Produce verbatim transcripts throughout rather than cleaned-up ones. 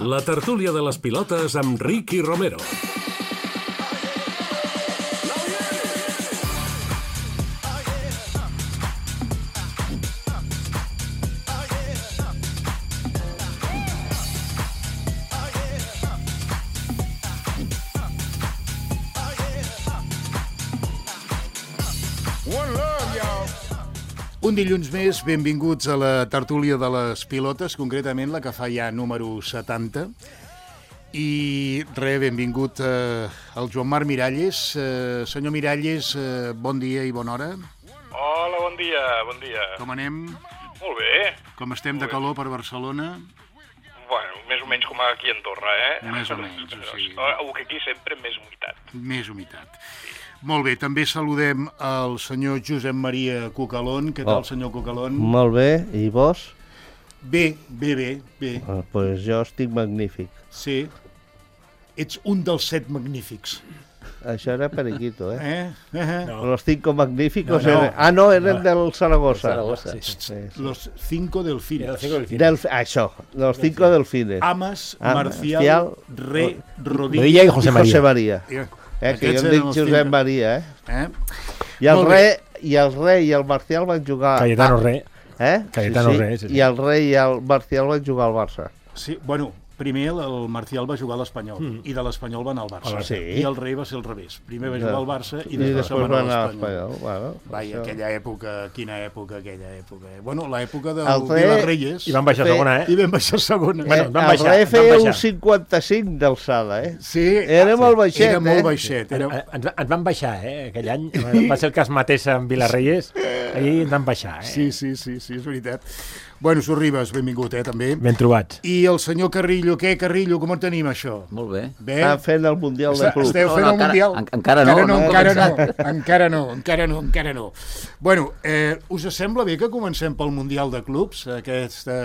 La tertúlia de les pilotes amb Ricky Romero. Un dilluns més, benvinguts a la tertúlia de les pilotes, concretament la que fa ja número setanta. I res, benvingut eh, al Joan Marc Miralles. Eh, senyor Miralles, eh, bon dia i bona hora. Hola, bon dia, bon dia. Com anem? Molt bé. Com estem de calor per Barcelona? Bueno, més o menys com aquí a Andorra, eh? Més o menys, o sigui... O que aquí sempre més humitat. Més humitat. Molt bé, també saludem el senyor Josep Maria Cucalón. Què tal, oh. senyor Cucalón? Molt bé, i vos? Bé, bé, bé, bé. Ah, pues jo estic magnífic. Sí. Ets un dels set magnífics. Això era periquito, eh? Eh? eh? No. Los cinco magníficos... No, no. Eren... Ah, no, eren no. del Zaragoza. Zaragoza. Sí, sí, sí. Los cinco delfines. Del... Això, los cinco delfines. Amas, Am, Marcial, Re, Rodilla Rodilla i José María. José María. Yeah. Eh, que jo em dic Josep Maria, eh? eh? I el rei i el rei i el Marcial van jugar... Cayetano Re. Eh? Cayetano sí, sí. Re, sí, sí. I el rei i el Marcial van jugar al Barça. Sí, bueno, primer el Marcial va jugar a l'Espanyol mm. i de l'Espanyol va anar al Barça. Sí. I el rei va ser al revés. Primer va jugar al Barça i, I després, després va anar a a l'Espanyol. Bueno, Vai, això... aquella època, quina època, aquella època. Bueno, l'època del El rei... Vilarreyes. I van baixar a segona, eh? I van baixar a segona. Eh, Bueno, van baixar, el rei van feia baixar. un cinquanta-cinc d'alçada, eh? Sí, Era molt baixet, era eh? molt baixet. Era... Ens, ens van baixar, eh? Aquell any. Va ser el cas mateix amb Vilarreyes. Ahir ens van baixar, eh? Sí, sí, sí, sí, és veritat. Bueno, Sorribes, benvingut, eh, també. Ben trobats. I el senyor Carrillo, què, Carrillo, com ho tenim, això? Molt bé. Bé? Estan fent el Mundial de Club. Esteu fent No, no, el Mundial? encara- encara no, no hem encara no, començat. encara no, encara no, encara no. Bueno, eh, us sembla bé que comencem pel Mundial de Clubs? Aquesta...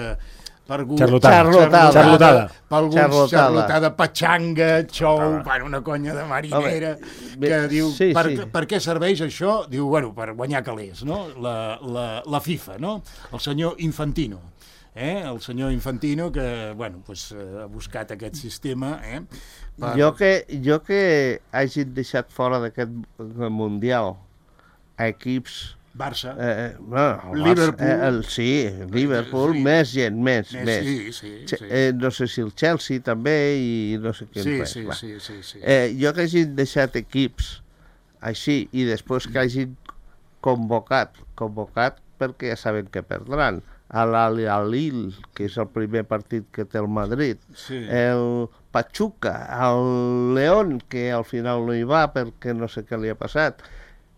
Per algú, Xarlotada. Xarlotada. Xarlotada. Per alguns, Xarlotada. xarlotada, patxanga, xou, bueno, una conya de marinera, Home, que diu, sí, per, sí. per què serveix això? Diu, bueno, per guanyar calés, no? La, la, la FIFA, no? El senyor Infantino. Eh? El senyor Infantino que, bueno, pues, ha buscat aquest sistema, eh? Per... Jo que, jo que hagin deixat fora d'aquest Mundial a equips... Barça. Eh, no, el Liverpool. Barça, eh, el, sí, Liverpool, Sí. més gent, més, Més, més. sí, sí, Che- sí. Eh, no sé si el Chelsea també i no sé què Sí, més. sí, va. sí, sí, sí. Eh, jo que hagin deixat equips així i després que hagin convocat, convocat perquè ja saben que perdran, a l'Al-Hilal, que és el primer partit que té el Madrid, Sí. el Pachuca, el León, que al final no hi va perquè no sé què li ha passat,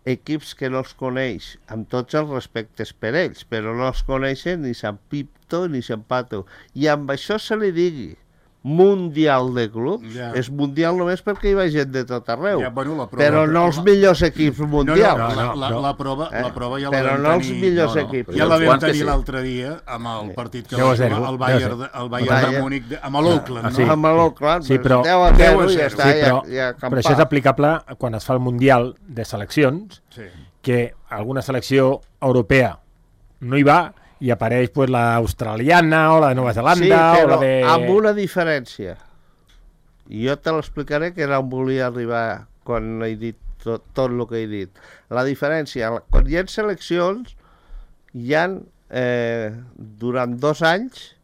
equips que no els coneix, amb tots els respectes per ells, però no els coneixen ni Sant Pipto ni Sant Pato. I amb això se li digui Mundial de Clubs, Ja. és mundial només perquè hi va gent de tot arreu, Ja, bueno, la prova- però no els millors equips No, no, mundials. la, no, la, no. la, prova, Eh? la prova ja la Però vam no els tenir... millors no, no, equips. Ja la vam Quants que tenir sí. l'altre dia amb el partit que deu va a zero, jugar el deu a Bayern, zero. de- el Bayern de Bayern. Múnich de- amb l'Oakland, Ah, no? sí. Amb l'Oakland, Sí, però- deu a deu zero a i ja zero. està, Sí, però, ja, ja però això és aplicable quan es fa el Mundial de seleccions, Sí. que alguna selecció europea no hi va i apareix pues, la australiana o la de Nova Zelanda Sí, o però la de... amb una diferència. I jo te l'explicaré, que era on volia arribar quan he dit tot, tot el que he dit. La diferència, quan hi ha seleccions, hi ha, eh, durant dos anys,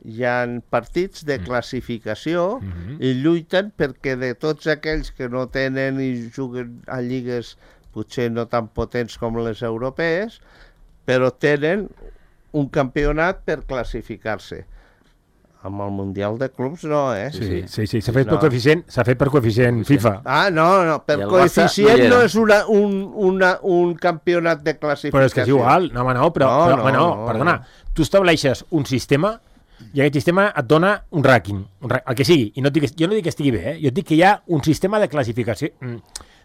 hi ha partits de classificació Mhm. i lluiten perquè de tots aquells que no tenen i juguen a lligues potser no tan potents com les europees, però tenen un campionat per classificar-se. Amb el Mundial de Clubs no, eh? Sí, sí, sí, s'ha fet No. per coeficient, s'ha fet per coeficient FIFA. Ah, no, no, per I el Barça coeficient no hi era. no és una, un, una, un campionat de classificació. Però és que és igual, no, home, no, però, No, però no, home, no, no, perdona, no. tu estableixes un sistema i aquest sistema et dona un rànquing, un ra- el que sigui, i no et dic, jo no dic que estigui bé, eh? Jo et dic que hi ha un sistema de classificació, mm,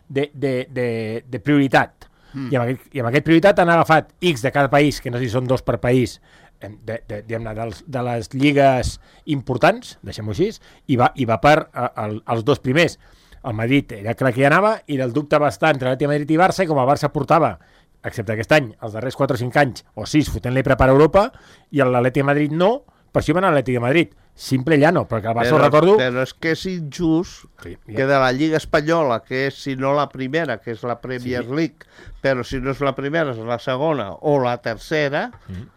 de, de, de, de prioritat, mm. I, amb aquest, i amb aquest prioritat han agafat X de cada país, que no sé si són dos per país, de, de, de, dels, de les lligues importants, deixem-ho així, i va, i va per a, a, als dos primers. El Madrid era clar que hi anava i el dubte va estar entre l'Atlètic de Madrid i Barça, i com el Barça portava, excepte aquest any, els darrers quatre o cinc anys, o sis, fotent-li per a Europa, i l'Atlètic de Madrid no, per això van a l'Atlètic de Madrid. Simple llano, perquè el Barça ho Però, recordo... però és que és injust Sí, ja. que de la Lliga Espanyola, que és, si no la primera, que és la Premier Sí. League, però si no és la primera, és la segona o la tercera, Mm.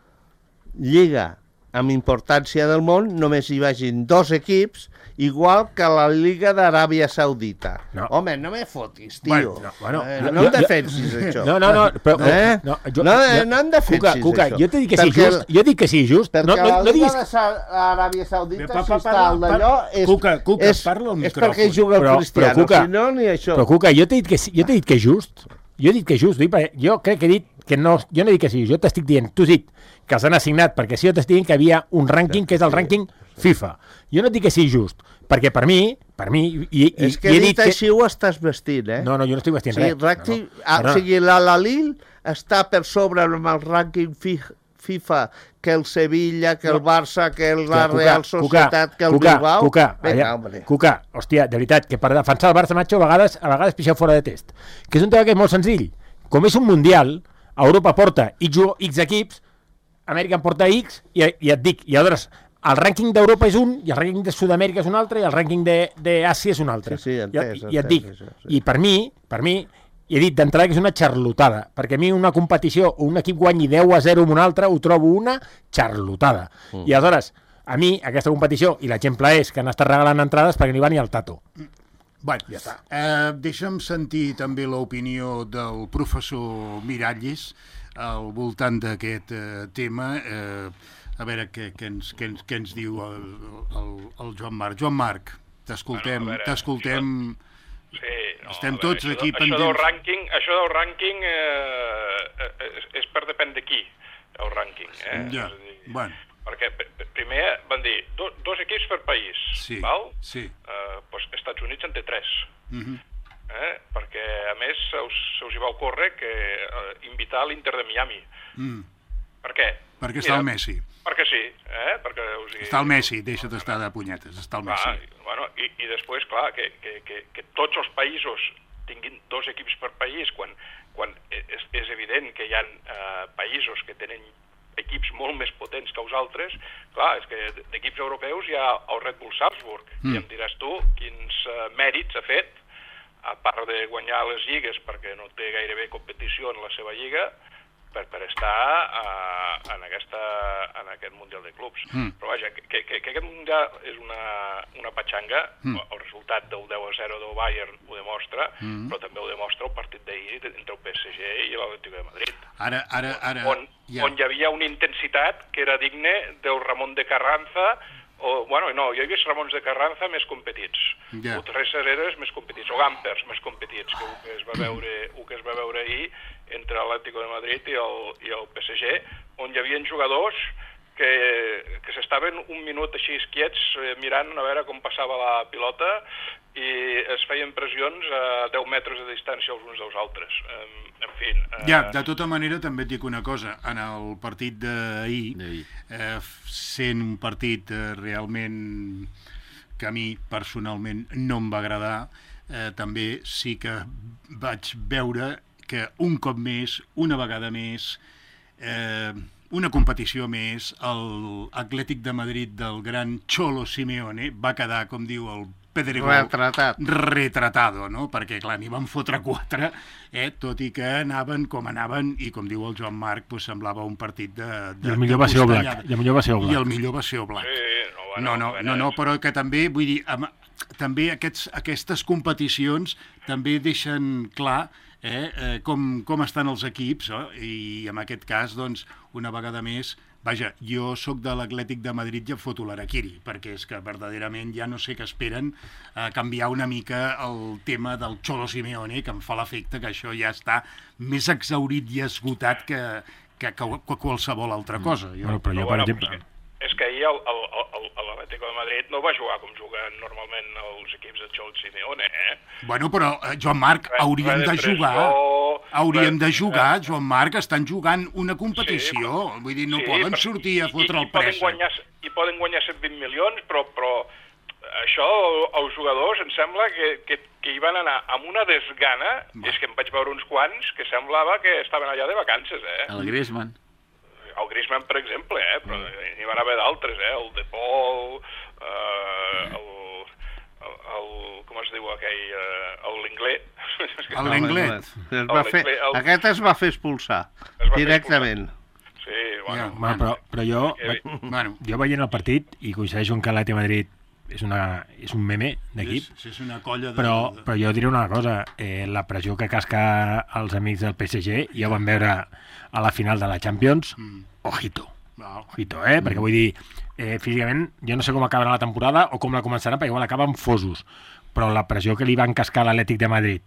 Lliga amb importància del món, només hi vagin dos equips, igual que la Lliga d'Aràbia Saudita. No. Home, no me fotis, tio. Bueno, no, bueno, eh, jo- no em jo- defensis, això. No, no, no, però... Eh? No, jo, No, jo, no em defensis, Cuca, Cuca, això. jo t'he dit que sí Perquè just, jo dic que sí just. Perquè No, no, la no Lliga diguis... d'Aràbia Saudita, Pa- pa- si està parla- al d'allò, és, Cuca, Cuca, és, parla al és perquè micròfon. juga el Però- Cristiano, però, Cuca, si no, ni això. Però, Cuca, jo t'he dit que sí, jo t'he dit que és just. Jo he dit que és just. Jo crec que he dit que no... Jo no he dit que sí, jo t'estic dient, tu has dit que els han assignat, perquè sí, jo t'estic dient que hi havia un rànquing que és el rànquing FIFA. Jo no et dic que sigui just, perquè per mi, per mi... I, i, És que i he dit dit que... així ho estàs vestint, eh? No, no, jo no estic vestint Sí, res. rànquing, no, no. ah, Perdona. o sigui, l'Al-Hilal està per sobre amb el rànquing fi- FIFA que el Sevilla, que el Barça, que la Hòstia, Real Cuca, Societat, que el Cuca, Bilbao. Cuca, Vinga, allà, hombre. Cuca, hòstia, de veritat, que per defensar el Barça, macho, a vegades, a vegades pixeu fora de test. Que és un tema que és molt senzill. Com és un mundial, Europa porta X, X equips, Amèrica en porta X, i, i et dic, i aleshores, el rànquing d'Europa és un, i el rànquing de Sud-amèrica és un altre, i el rànquing d'Àsia és un altre. Sí, sí, entès, I, i et entès, dic, això, sí. i per mi, per mi, i he dit d'entrada que és una xarlotada, perquè a mi una competició o un equip guanyi deu a zero amb un altre, ho trobo una xarlotada. Mm. I aleshores, a mi, aquesta competició, i l'exemple és que han estat regalant entrades perquè no hi va ni el Tato. Bueno, ja està. Eh, deixa'm sentir també l'opinió del professor Miralles al voltant d'aquest eh, tema. Eh, a veure què, què, ens, què, ens, què ens diu el, el, el Joan Marc. Joan Marc, t'escoltem, Bueno, a veure, t'escoltem... Sí, no, Estem a veure, tots això, aquí això pendents. Del rànquing, això del rànquing eh, és, és per depèn de qui, el rànquing. Eh? Ja, És a dir, bueno, perquè p- p- primer van dir do, dos equips per país, sí, val? sí. Eh, doncs Estats Units en té tres. Mhm. Eh? Perquè, a més, se us, se us hi va ocórrer que eh, invitar l'Inter de Miami. Mm. Per què? Perquè està el Messi. Perquè sí, eh? Perquè, o sigui, Està el Messi, deixa't estar de punyetes, està el Clar, Messi. bueno, i, i després, clar, que, que, que, que tots els països tinguin dos equips per país, quan, quan és, és evident que hi ha eh, països que tenen equips molt més potents que els altres, clar, és que d'equips europeus hi ha el Red Bull Salzburg, mm. i em diràs tu quins uh, mèrits ha fet, a part de guanyar les lligues perquè no té gairebé competició en la seva lliga, per, per estar uh, en, aquesta, en aquest Mundial de Clubs. Mm. Però vaja, que, que, que aquest Mundial és una, una patxanga, mm. el resultat del deu a zero del Bayern ho demostra, mm. però també ho demostra el partit d'ahir entre el P S G i l'Atlético de Madrid. Ara, ara, ara... On, ja. on hi havia una intensitat que era digne del Ramon de Carranza, o, bueno, no, jo he vist Ramons de Carranza més competits, Ja. o Tres Hereres més competits, o Gampers més competits, que el que es va veure, el que es va veure ahir entre l'Atlético de Madrid i el, i el P S G, on hi havia jugadors que, que s'estaven un minut així quiets eh, mirant a veure com passava la pilota i es feien pressions a deu metres de distància els uns dels altres. Eh, en fi... Eh, Ja, de tota manera també et dic una cosa, en el partit d'ahir, D'ahir. eh, sent un partit eh, realment que a mi personalment no em va agradar, eh, també sí que vaig veure que un cop més, una vegada més, eh, una competició més, l'Atlètic de Madrid del gran Cholo Simeone va quedar, com diu el Pedregó, Retratat. retratado, no? Perquè, clar, n'hi van fotre quatre, eh? Tot i que anaven com anaven, i com diu el Joan Marc, pues, semblava un partit de... de I el millor de va ser Oblak. costellada. I el millor va ser Oblak. I el millor va ser Oblak. Sí, no, bueno, No, no, a no, veure, no, però que també, vull dir, amb, també aquests, aquestes competicions també deixen clar eh, eh, com, com estan els equips, eh? I en aquest cas, doncs, una vegada més, vaja, jo sóc de l'Atlètic de Madrid i em foto l'Araquiri, perquè és que verdaderament ja no sé què esperen a canviar una mica el tema del Cholo Simeone, que em fa l'efecte que això ja està més exhaurit i esgotat que, que, que, que qualsevol altra cosa. Jo, Bueno, però jo, Però, per bueno, exemple... és que, és que ahir el- el- el- el- l'Atlético de Madrid no va jugar com juguen normalment els equips de Cholo Simeone, eh? Bueno, però, eh, Joan Marc, Res- hauríem res de de jugar... pressió, Hauríem res- de jugar, Joan Marc, estan jugant una competició. Sí, Vull dir, no sí, poden però- sortir a i- fotre i- el i poden préssec. guanyar, I poden guanyar cent vint milions, però, però això, els jugadors, em sembla que, que, que hi van anar amb una desgana, Va. és que em vaig veure uns quants que semblava que estaven allà de vacances, eh? El Griezmann. El Griezmann, per exemple, eh? Però n'hi van haver d'altres. altres, eh? El De Paul, eh, el, el, el... com es diu aquell? Eh, L'Inglés. L'Inglés. Aquest es va fer expulsar, directament. Sí, bueno. Bueno, però, però jo, Bueno. jo veient el partit, i coincideixo que l'Atlètic de Madrid és, una, és un meme d'equip, És, és una colla de... però, però jo diré una cosa, eh, la pressió que casca els amics del P S G, ja ho vam veure a la final de la Champions, Mm. ojito, Val. ojito, eh? Perquè vull dir, eh, físicament, jo no sé com acabarà la temporada o com la començaran, perquè igual acaben fosos, però la pressió que li van cascar a l'Atlètic de Madrid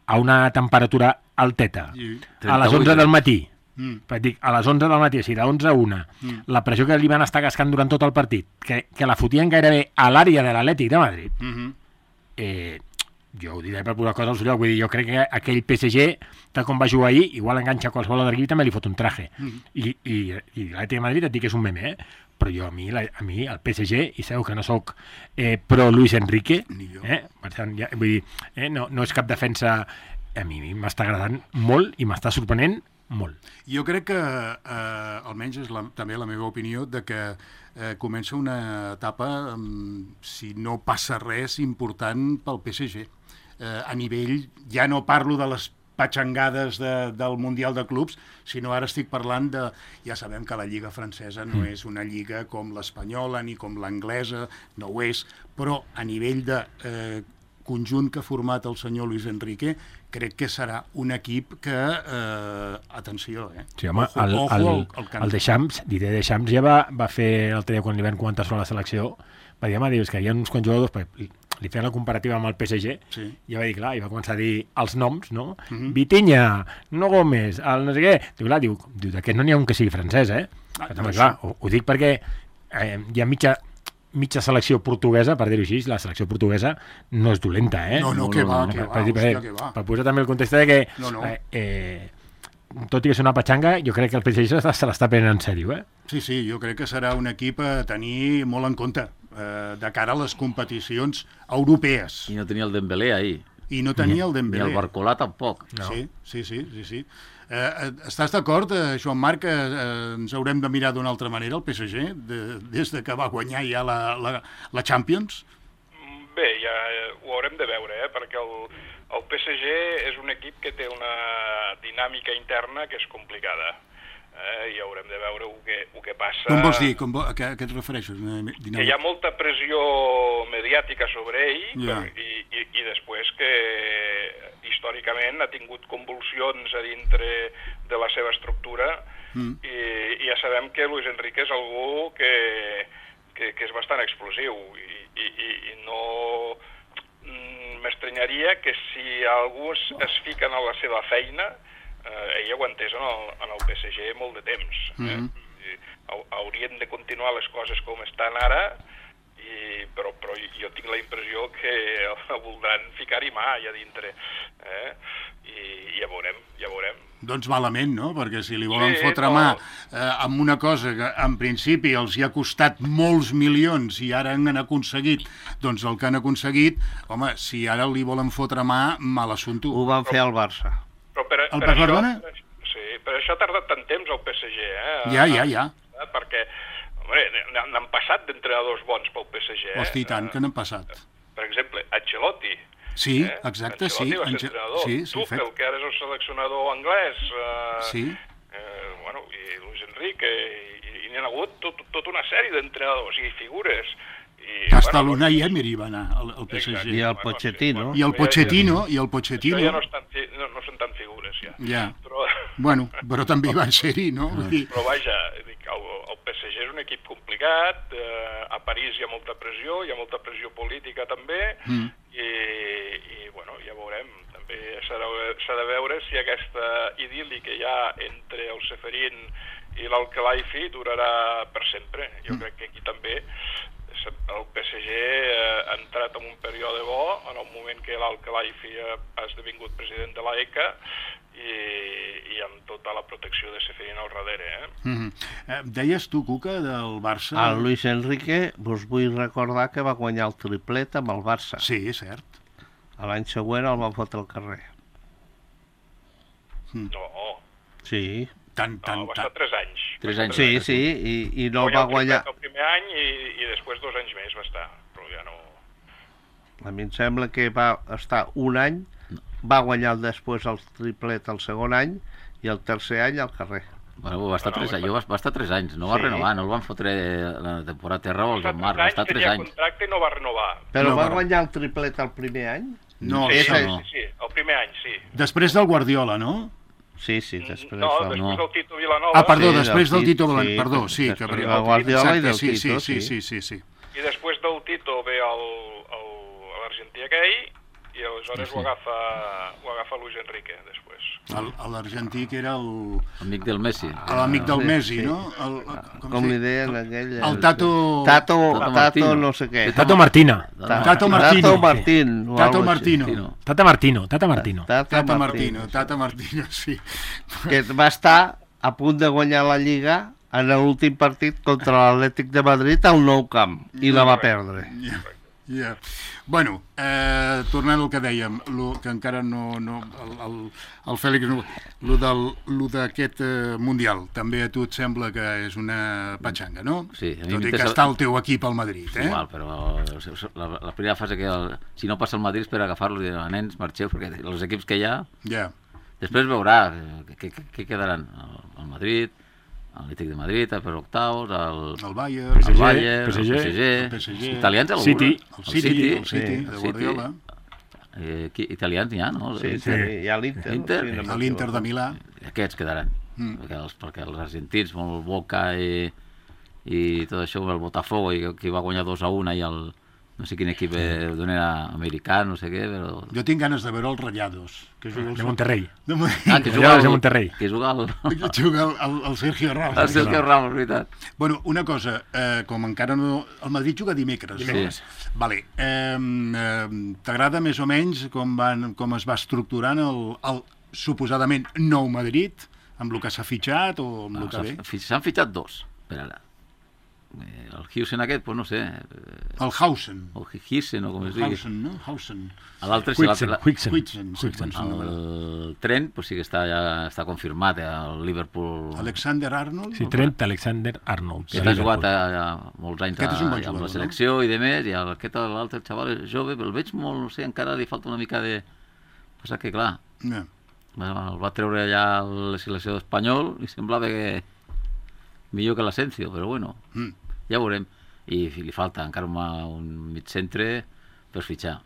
a una temperatura alteta, I- a les onze del matí, Mm. però dic, a les onze del matí, o sigui, d'onze a una, Mm. la pressió que li van estar cascant durant tot el partit, que, que la fotien gairebé a l'àrea de l'Atlètic de Madrid, Mhm. eh, jo ho diré per posar coses al seu lloc, vull dir, jo crec que aquell P S G, tal com va jugar ahir, igual enganxa qualsevol altre equip i també li fot un traje. Mhm. I, i, i l'Atlètic de Madrid et dic que és un meme, eh? Però jo a mi, la, a mi el P S G, i sabeu que no sóc eh, pro Luis Enrique, Ni jo. eh? Per tant, ja, vull dir, eh? no, no és cap defensa, a mi m'està agradant molt i m'està sorprenent molt. Jo crec que, eh, almenys és la, també la meva opinió, de que eh, comença una etapa, um, si no passa res, important pel P S G. Eh, a nivell, ja no parlo de les patxangades de, del Mundial de Clubs, sinó ara estic parlant de... Ja sabem que la Lliga francesa no és una lliga com l'espanyola ni com l'anglesa, no ho és, però a nivell de eh, conjunt que ha format el senyor Luis Enrique, crec que serà un equip que... Eh, atenció, eh? Sí, home, Ojo, el, ojo el, al- al canvi. el Deschamps, Didier Deschamps ja va, va fer l'altre dia quan li van comentar sobre la selecció, va dir, home, dius que hi ha uns quants jugadors, perquè li, li feien la comparativa amb el P S G, Sí. i va dir, clar, i va començar a dir els noms, no? Mhm. Vitinha, no Gómez, el no sé què. Diu, clar, diu, diu d'aquest no n'hi ha un que sigui francès, eh? Ah, Ah, doncs clar, ho, ho dic perquè eh, hi ha mitja, mitja selecció portuguesa, per dir-ho així, la selecció portuguesa no és dolenta, eh? No, no, que va, que per, va, per, dir- hòstia, per, que va. per posar també el context de que No, no. Eh, eh, tot i que és una patxanga, jo crec que el P S G se l'està prenent en sèrio, eh? Sí, sí, jo crec que serà un equip a tenir molt en compte eh, de cara a les competicions europees. I no tenia el Dembélé ahir. I no tenia el Ni Dembélé. el Barcolà tampoc. No. Sí, sí, sí, sí, sí. Eh, eh, estàs d'acord, eh, Joan Marc, que eh, ens haurem de mirar d'una altra manera el P S G, de, des de que va guanyar ja la, la, la Champions? Bé, ja eh, ho haurem de veure, eh? Perquè el, el P S G és un equip que té una dinàmica interna que és complicada. Eh? I haurem de veure el que, el que passa... Com vols dir? Com vo... a, què, a què et refereixes? Una Que dinàmica? hi ha molta pressió mediàtica sobre ell Ja. per, i, i, i després que històricament ha tingut convulsions a dintre de la seva estructura Mm. i, i ja sabem que Luis Enrique és algú que, que, que és bastant explosiu i, i, i, i no mm, m'estranyaria que si algú es, es fica en la seva feina eh, ell aguantés en el, en el P S G molt de temps. Eh? Mhm. I hau- haurien de continuar les coses com estan ara, i, però, però jo tinc la impressió que el voldran ficar-hi mà allà dintre. Eh? I, I ja veurem, ja veurem. Doncs malament, no? Perquè si li volen Sí, fotre no. mà eh, amb una cosa que en principi els hi ha costat molts milions i ara han aconseguit doncs el que han aconseguit, home, si ara li volen fotre mà, mal assumpto. Ho van fer al Barça. Però per, El per Perdona? això, sí, per això ha tardat tant temps el P S G, eh? Ja, ja, ja. Eh, perquè, home, n- n'han passat d'entrenadors bons pel P S G. Eh? Hosti, i tant, que n'han passat. Per exemple, Ancelotti. Sí, eh? exacte, sí. Ancelotti va ser Ange- entrenador. sí, sí, Tuchel, fet. que ara és el seleccionador anglès. Eh, Sí. Eh, bueno, i Luis Enrique, i, i n'hi ha hagut tot, tota una sèrie d'entrenadors i figures. I, Hasta bueno, l'Unai Emery va anar al, al P S Exacte. G. I el Bueno, Pochettino. sí, I el ja- Pochettino, i el Això Pochettino... ja no, estan, fi- no, no són tan figures, ja. Ja. Però, Bueno, però també van ser-hi, no? Vull dir, però vaja, dic, el, el P S G és un equip complicat, eh, a París hi ha molta pressió, hi ha molta pressió política també, Mm. i, i bueno, ja veurem. També s'ha de, s'ha de veure si aquesta idil·li que hi ha entre el Seferin i l'Al-Khelaifi durarà per sempre. Jo Mm. crec que aquí també el P S G ha entrat en un període bo en el moment que l'Al-Khelaifi ha esdevingut president de l'A E C A i, i amb tota la protecció de Seferin al darrere. Eh? mhm. Eh, deies tu, Cuca, del Barça... El Luis Enrique, vos vull recordar que va guanyar el triplet amb el Barça. Sí, és cert. L'any següent el van fotre al carrer. No, Sí, Tant, no, tant, va tant. estar tres anys. Tres Va anys. estar sí, tres sí, i, i no el Guanyar va guanyar... triplet el primer any any i, i després dos anys més va estar, però ja no... A mi em sembla que va estar un any, va guanyar després el triplet el segon any i el tercer any al carrer. Bueno, va estar, No, no, tres, va- anys, va, va estar tres anys, no va Sí. renovar, no el van fotre la temporada terra o el Joan Marc, va estar tres tenia anys. contracte i no va renovar. Però No, va però- guanyar el triplet el primer any? No, Sí, sí, sí. no. Sí, sí, el primer any, sí. Després del Guardiola, no? Sí, sí, després no, del- després no. del Tito Vilanova. Ah, perdó, Sí, del després del Tito, Tito Blanc, sí, perdó, sí. després que del Guardiola i del sí, sí, Tito, sí, sí. sí, sí, sí. I després del Tito ve el, el, l'argentí aquell i aleshores Sí, sí. ho agafa, ho agafa Luis Enrique, després. El- L'argentí que era el- Amic del Messi. l'amic del Sí, Messi, sí. no? El, Com, com li es deia? deien aquell... El Tato... Tato, Tato Tato, Martino. no sé què. Tato Martina. Tato Martino. Tato Martín. o Tato algo així. Martino. Martino. Tata Martino, Tata Martino. Tato Tata Martino. Martino, Tata Martino, sí. Que va estar a punt de guanyar la Lliga en l'últim partit contra l'Atlètic de Madrid al Nou Camp i la va perdre. Ja, ja. Bueno, eh, tornant al que dèiem, lo, que encara no... no el, el, el Fèlix, no, lo del- lo d'aquest eh, Mundial, també a tu et sembla que és una patxanga, no? Sí, a mi Tot i que m'interessa- està el teu equip al Madrid, eh? Igual, però la, la primera fase que el, si no passa el Madrid és per agafar-lo i dir, nens, marxeu, perquè els equips que hi ha, Ja. després veurà què, què, què quedaran. El, el Madrid, l'Atlètic de Madrid, per octaus, el, El Bayern, el Bayern, P S G, el P S G, el P S G, els italians, el City, el City, el City, el de City. Guardiola, Eh, qui, italians n'hi ha, no? Sí, sí, hi ha l'Inter. Inter. sí, no l'Inter de m'equivoco. Milà. Aquests quedaran. Mm. Perquè, els, perquè els argentins, molt Boca i, i tot això, el Botafogo, i que va guanyar dos a un i el, no sé quin equip eh, d'on era americà, no sé què, però... Jo tinc ganes de veure els Rayados. Que juga el De Monterrey. De Mon- Ah, que Allò juga és de el, Monterrey. que juga el, que juga el, el, el Sergio Ramos. el Sergio Ramos, veritat. Bueno, una cosa, eh, com encara no... El Madrid juga dimecres. Dimecres. No? Vale. Eh, eh, T'agrada més o menys com, van, com es va estructurant el, el suposadament nou Madrid, amb el que s'ha fitxat o amb el que ve? S'han fi- s'han fitxat dos, per ara. Eh, El Hugsen aquest, pues no sé, eh, El Hausen. o Hugsen o com es digui. Hausen, no? Hausen. L'altre sí, Huixen, l'altre... Huixen. Huixen, sí, Huixen. quan són- El Trent, pues sí que està, ja està confirmat, eh, el Liverpool... Alexander Arnold. Sí, Trent Alexander Arnold. que ha jugat a, a molts anys a, Aquest és un bon amb jugador, la selecció i de més, i el- aquest l'altre xaval és jove, però el veig molt, no sé, encara li falta una mica de... Passa que, clar, No. el va treure allà a la selecció espanyol i semblava que millor que l'Asensio, però bueno, Mm. ja veurem. I li falta encara una, un mig centre per fitxar.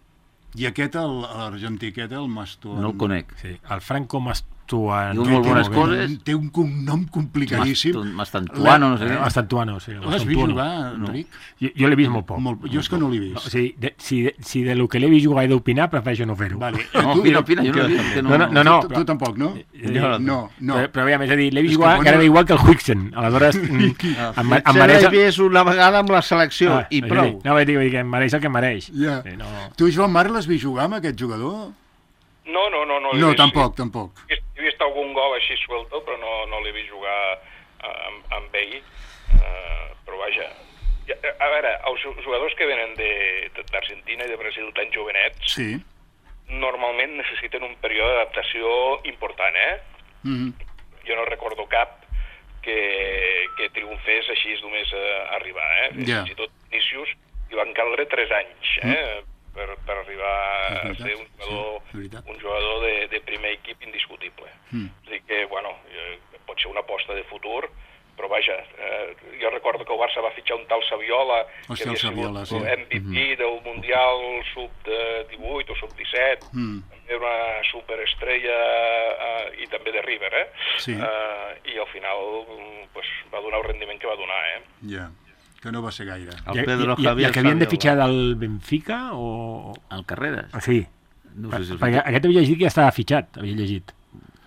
I aquest, el- l'argentí aquest, el Mastuan... No el conec. Sí, el Franco Mastuan. Diu molt bones Té- coses. Té un cognom complicadíssim. Mastantuano, no sé què. Mastantuano, sí. L'has vist Mastantuano. jugar, No. Enric? Jo, jo l'he vist molt poc. Molt, jo és que no l'he O vist. sigui, de, si, de, si de lo que l'he vist jugar he d'opinar, prefereixo no fer-ho. Vale. No, Tu- opina, opina, jo no he vist. Que no, No, no, no, no. Tu, tu tampoc, no? Eh, No, no. Però, però aviam, és a dir, l'he És vist que jugar bueno- gairebé igual que el Huixen. Aleshores, mm, em, ma- em Se mereix... l'he vist una vegada amb la selecció Ah, i és a prou. dir, No, vull dir, vull dir que em mereix el que em mereix. Ja. Sí, no... Tu, Joan Marc, l'has vist jugar amb aquest jugador? No, no, no. No, l'he No, vist. tampoc, tampoc. He vist, he vist algun gol així suelto, però no, no l'he vist jugar eh, amb, amb ell. Uh, però vaja, Ja, a veure, els jugadors que venen de- d'Argentina i de Brasil tan jovenets Sí. normalment necessiten un període d'adaptació important, eh? Mm. Jo no recordo cap que, que triomfés així només a arribar, eh? Ja. Fins i tot Vinícius hi van caldre tres anys, eh? Per, per arribar És a veritat, ser un jugador, sí, és veritat. un jugador de, de primer equip indiscutible. Mm. És a dir que, bueno, eh, pot ser una aposta de futur, però vaja, eh, jo recordo que el Barça va fitxar un tal Saviola, Hòstia, que el havia Saviola, sigut sí. M V P del Mundial sub divuit o sub disset, Mm. també una superestrella eh, i també de River, eh? Sí. Eh, I al final mm, pues, va donar el rendiment que va donar, eh? Ja, que no va ser gaire. El I, Pedro i, i, Javier el que havien de Saviola. fitxar del Benfica o... El Carreras. Ah, sí. No Per, sé si el perquè aquest havia llegit que ja estava fitxat, havia llegit.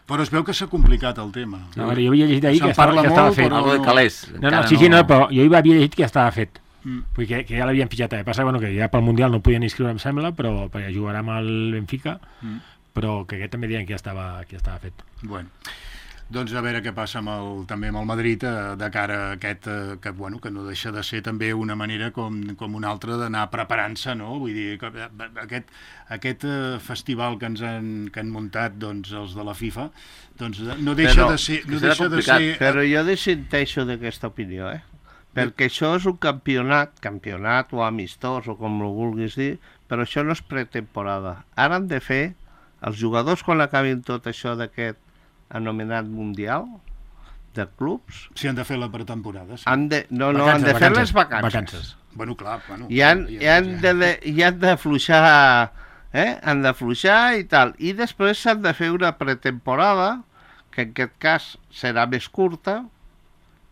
Però es veu que s'ha complicat el tema. No, jo havia llegit ahir Se'n que estava, parla que estava molt, fet. però- Algo de Calés. No, no, encara sí, sí, no, però jo hi havia llegit que ja estava fet. Mm. Vull dir que, que ja l'havien fitxat. El que passa bueno, que ja pel Mundial no podien inscriure, em sembla, però perquè jugarà amb el Benfica, Mm. però que aquest també deien que ja estava, que ja estava fet. Bueno, doncs a veure què passa amb el, també amb el Madrid eh, de cara a aquest, eh, que, bueno, que no deixa de ser també una manera com, com una altra d'anar preparant-se, no? Vull dir, que, eh, aquest, aquest eh, festival que ens han, que han muntat doncs, els de la FIFA, doncs eh, no deixa Però- de ser... No que serà deixa de complicat, ser Però jo dissenteixo d'aquesta opinió, eh? perquè això és un campionat, campionat o amistós o com ho vulguis dir, però això no és pretemporada. Ara han de fer, els jugadors quan acabin tot això d'aquest anomenat mundial de clubs... Si han de fer la pretemporada, sí. Han de, no, no, Vacances, han de fer vacances, les vacances. vacances. Bueno, clar, bueno... I han, i han de, i han d'afluixar, eh? Han d'afluixar i tal. I després s'han de fer una pretemporada, que en aquest cas serà més curta,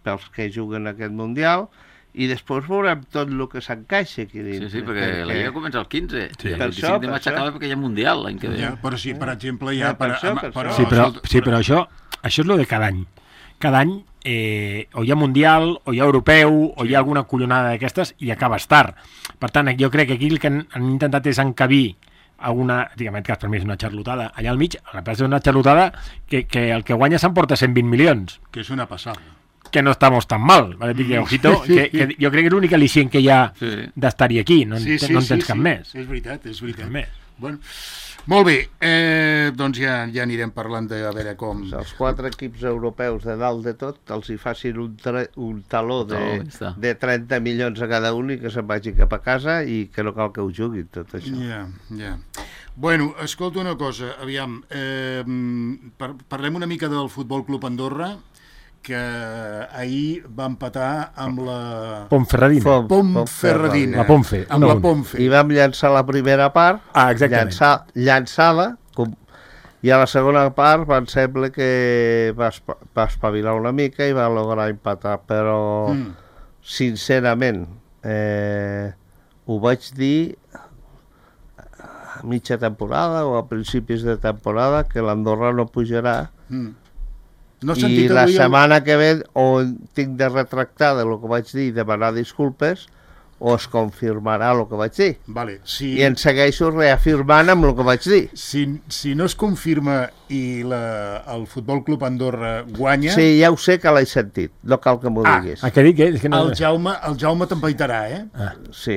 pels que juguen aquest Mundial, i després veurem tot el que s'encaixa aquí dins. Sí, sí, perquè que, la Lliga comença el quinze, Sí, i el per vint-i-cinc això, de per maig això. acaba perquè hi ha Mundial l'any que ve. Ja, però sí, per exemple, ja... Ja, per això, per això. Sí, però, sí, però això, això és lo de cada any. Cada any eh, o hi ha Mundial, o hi ha Europeu, o hi ha alguna collonada d'aquestes, i acabes tard. Per tant, jo crec que aquí el que han, han intentat és encabir alguna, diguem, en aquest cas per mi és una xarlotada, allà al mig, a la plaça és una xarlotada que, que el que guanya s'emporta cent vint milions. Que és una passada. Que no estamos tan mal, ¿vale? Que, ojito, que, que jo crec que és l'únic al·licient que hi ha Sí. d'estar-hi aquí, no, Sí, sí, no en sí, tens cap sí. més. És veritat, és veritat. Cap més. Bueno, molt bé, eh, doncs ja, ja anirem parlant de a veure com... Els quatre equips europeus de dalt de tot els hi facin un, tre, un taló de, Taló, ja està. de trenta milions a cada un i que se'n vagi cap a casa i que no cal que ho juguin tot això. Ja, ja. Bueno, escolta una cosa, aviam, eh, par parlem una mica del Futbol Club Andorra, que ahir va empatar amb la Ponferradina. Fom- Ponferradina. La Ponfe, Amb un a la un. Ponfe. I vam llançar la primera part, Ah, exactament. llançar, llançada, com, i a la segona part em sembla que va, espa, va espavilar una mica i va lograr empatar, però Mm. sincerament eh, ho vaig dir a mitja temporada o a principis de temporada que l'Andorra no pujarà. Mm. No has I sentit la avui el- setmana que ve o tinc de retractar de lo que vaig dir i demanar disculpes o es confirmarà el que vaig dir. Vale, si... I en segueixo reafirmant amb el que vaig dir. Si, si no es confirma i la, el Futbol Club Andorra guanya, Sí, ja ho sé que l'he sentit, no cal que m'ho Ah, diguis. Ah, què dic? Eh? És que no... el Jaume, el Jaume t'empaitarà, eh? Sí,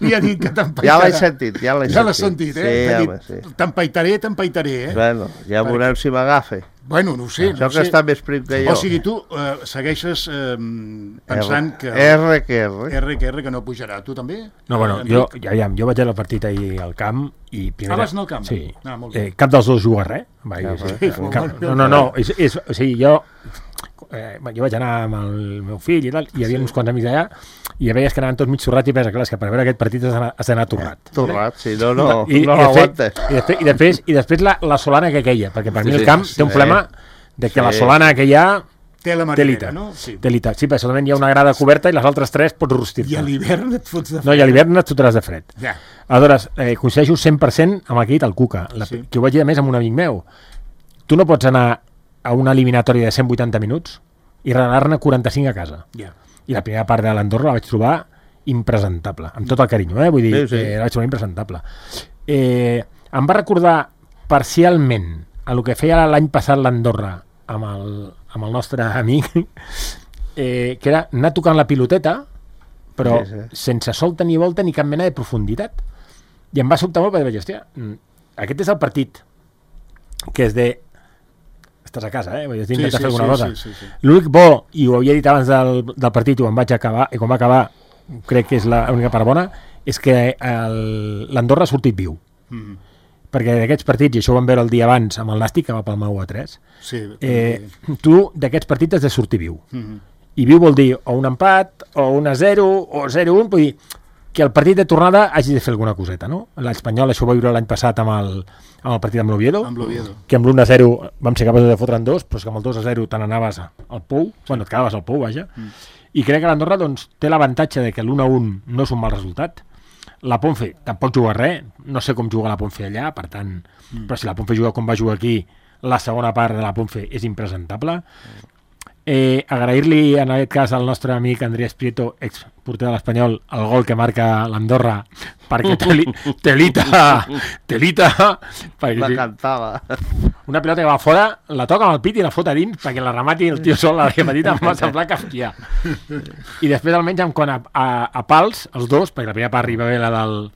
Li ha dit que ja t'empaitarà. l'he sentit, ja l'he Ja l'has sentit. sentit, eh? Sí, T'ha home, dit, sí. T'empaitaré, t'empaitaré, eh? Bueno, ja Perquè- veurem si m'agafa. Bueno, no ho sé. Això no ho que sé. està més prim que jo. O sigui, tu eh, segueixes eh, pensant que... R que R. R que R que no pujarà. Tu també? No, bueno, Enric? jo, ja, ja, jo vaig anar al partit ahir al camp i... Primera, Ah, vas anar al camp? Sí. Ah, molt bé. Eh, cap dels dos juga res. Va, Ja, sí, però- sí, cap, no, no, no. És, és, o sigui, jo... Eh, jo vaig anar amb el meu fill i tal, i hi havia sí. uns quants amics allà, i ja veies que anaven tots mig sorrats i pensa, clar, és que per veure aquest partit has d'anar- has d'anar torrat. Torrat, si no, no, I, no i, després, l'aguantes. i, després, i, després, I després la, la solana que queia, perquè per Sí, mi el sí, camp sí. té un problema de que Sí. la solana que hi ha... Té la Telita, marinera, no? Sí. Telita. Sí, però solament hi ha una grada coberta i les altres tres pots rostir-te. I a l'hivern et fots de No, i a l'hivern et fotràs de fred. Ja. Aleshores, eh, coincideixo cent per cent amb el que ha dit el Cuca, la, Sí. sí. que ho vaig dir a més amb un amic meu. Tu no pots anar a una eliminatòria de cent vuitanta minuts i regalar-ne quaranta-cinc a casa. Ja. I la primera part de l'Andorra la vaig trobar impresentable, amb tot el carinyo, eh? Vull dir, Sí, sí. Eh, la vaig trobar impresentable. Eh, em va recordar parcialment a el que feia l'any passat l'Andorra amb el, amb el nostre amic, eh, que era anar tocant la piloteta, però Sí, sí. sense solta ni volta ni cap mena de profunditat. I em va sobtar molt perquè vaig dir, hòstia, mm, aquest és el partit que és de... Estàs a casa, eh? Vull dir, Sí, intentar sí, fer alguna sí, cosa. sí, sí, sí. L'únic bo, i ho havia dit abans del, del partit, ho em vaig acabar, i quan va acabar, crec que és l'única part bona, és que el- l'Andorra ha sortit viu. Mm. Perquè d'aquests partits, i això ho vam veure el dia abans amb el Nàstic, que va palmar u a tres, Sí. eh, tu d'aquests partits has de sortir viu. Mm. I viu vol dir o un empat, o un a zero, o zero a un, vull dir que el partit de tornada hagi de fer alguna coseta, no? L'Espanyol això ho va viure l'any passat amb el, amb el partit amb l'Oviedo, Amb l'Oviedo. que amb l'un a zero vam ser capaços de fotre'n dos, però és que amb el dos a zero te n'anaves al pou, bueno, et quedaves al pou, vaja, mm. i crec que l'Andorra doncs, té l'avantatge de que l'un a un no és un mal resultat. La Ponfe tampoc juga res, no sé com juga la Ponfe allà, per tant, mm. però si la Ponfe juga com va jugar aquí, la segona part de la Ponfe és impresentable. Eh, agrair-li en aquest cas al nostre amic Andrés Prieto, ex porter de l'Espanyol, el gol que marca l'Andorra, perquè teli, telita, telita, perquè La sí, cantava. una pilota que va fora, la toca amb el pit i la fot a dins perquè la remati el tio sol a la petita, em va semblar kafkià. I després almenys en quant a, a, a pals, els dos, perquè la primera part arriba bé la del...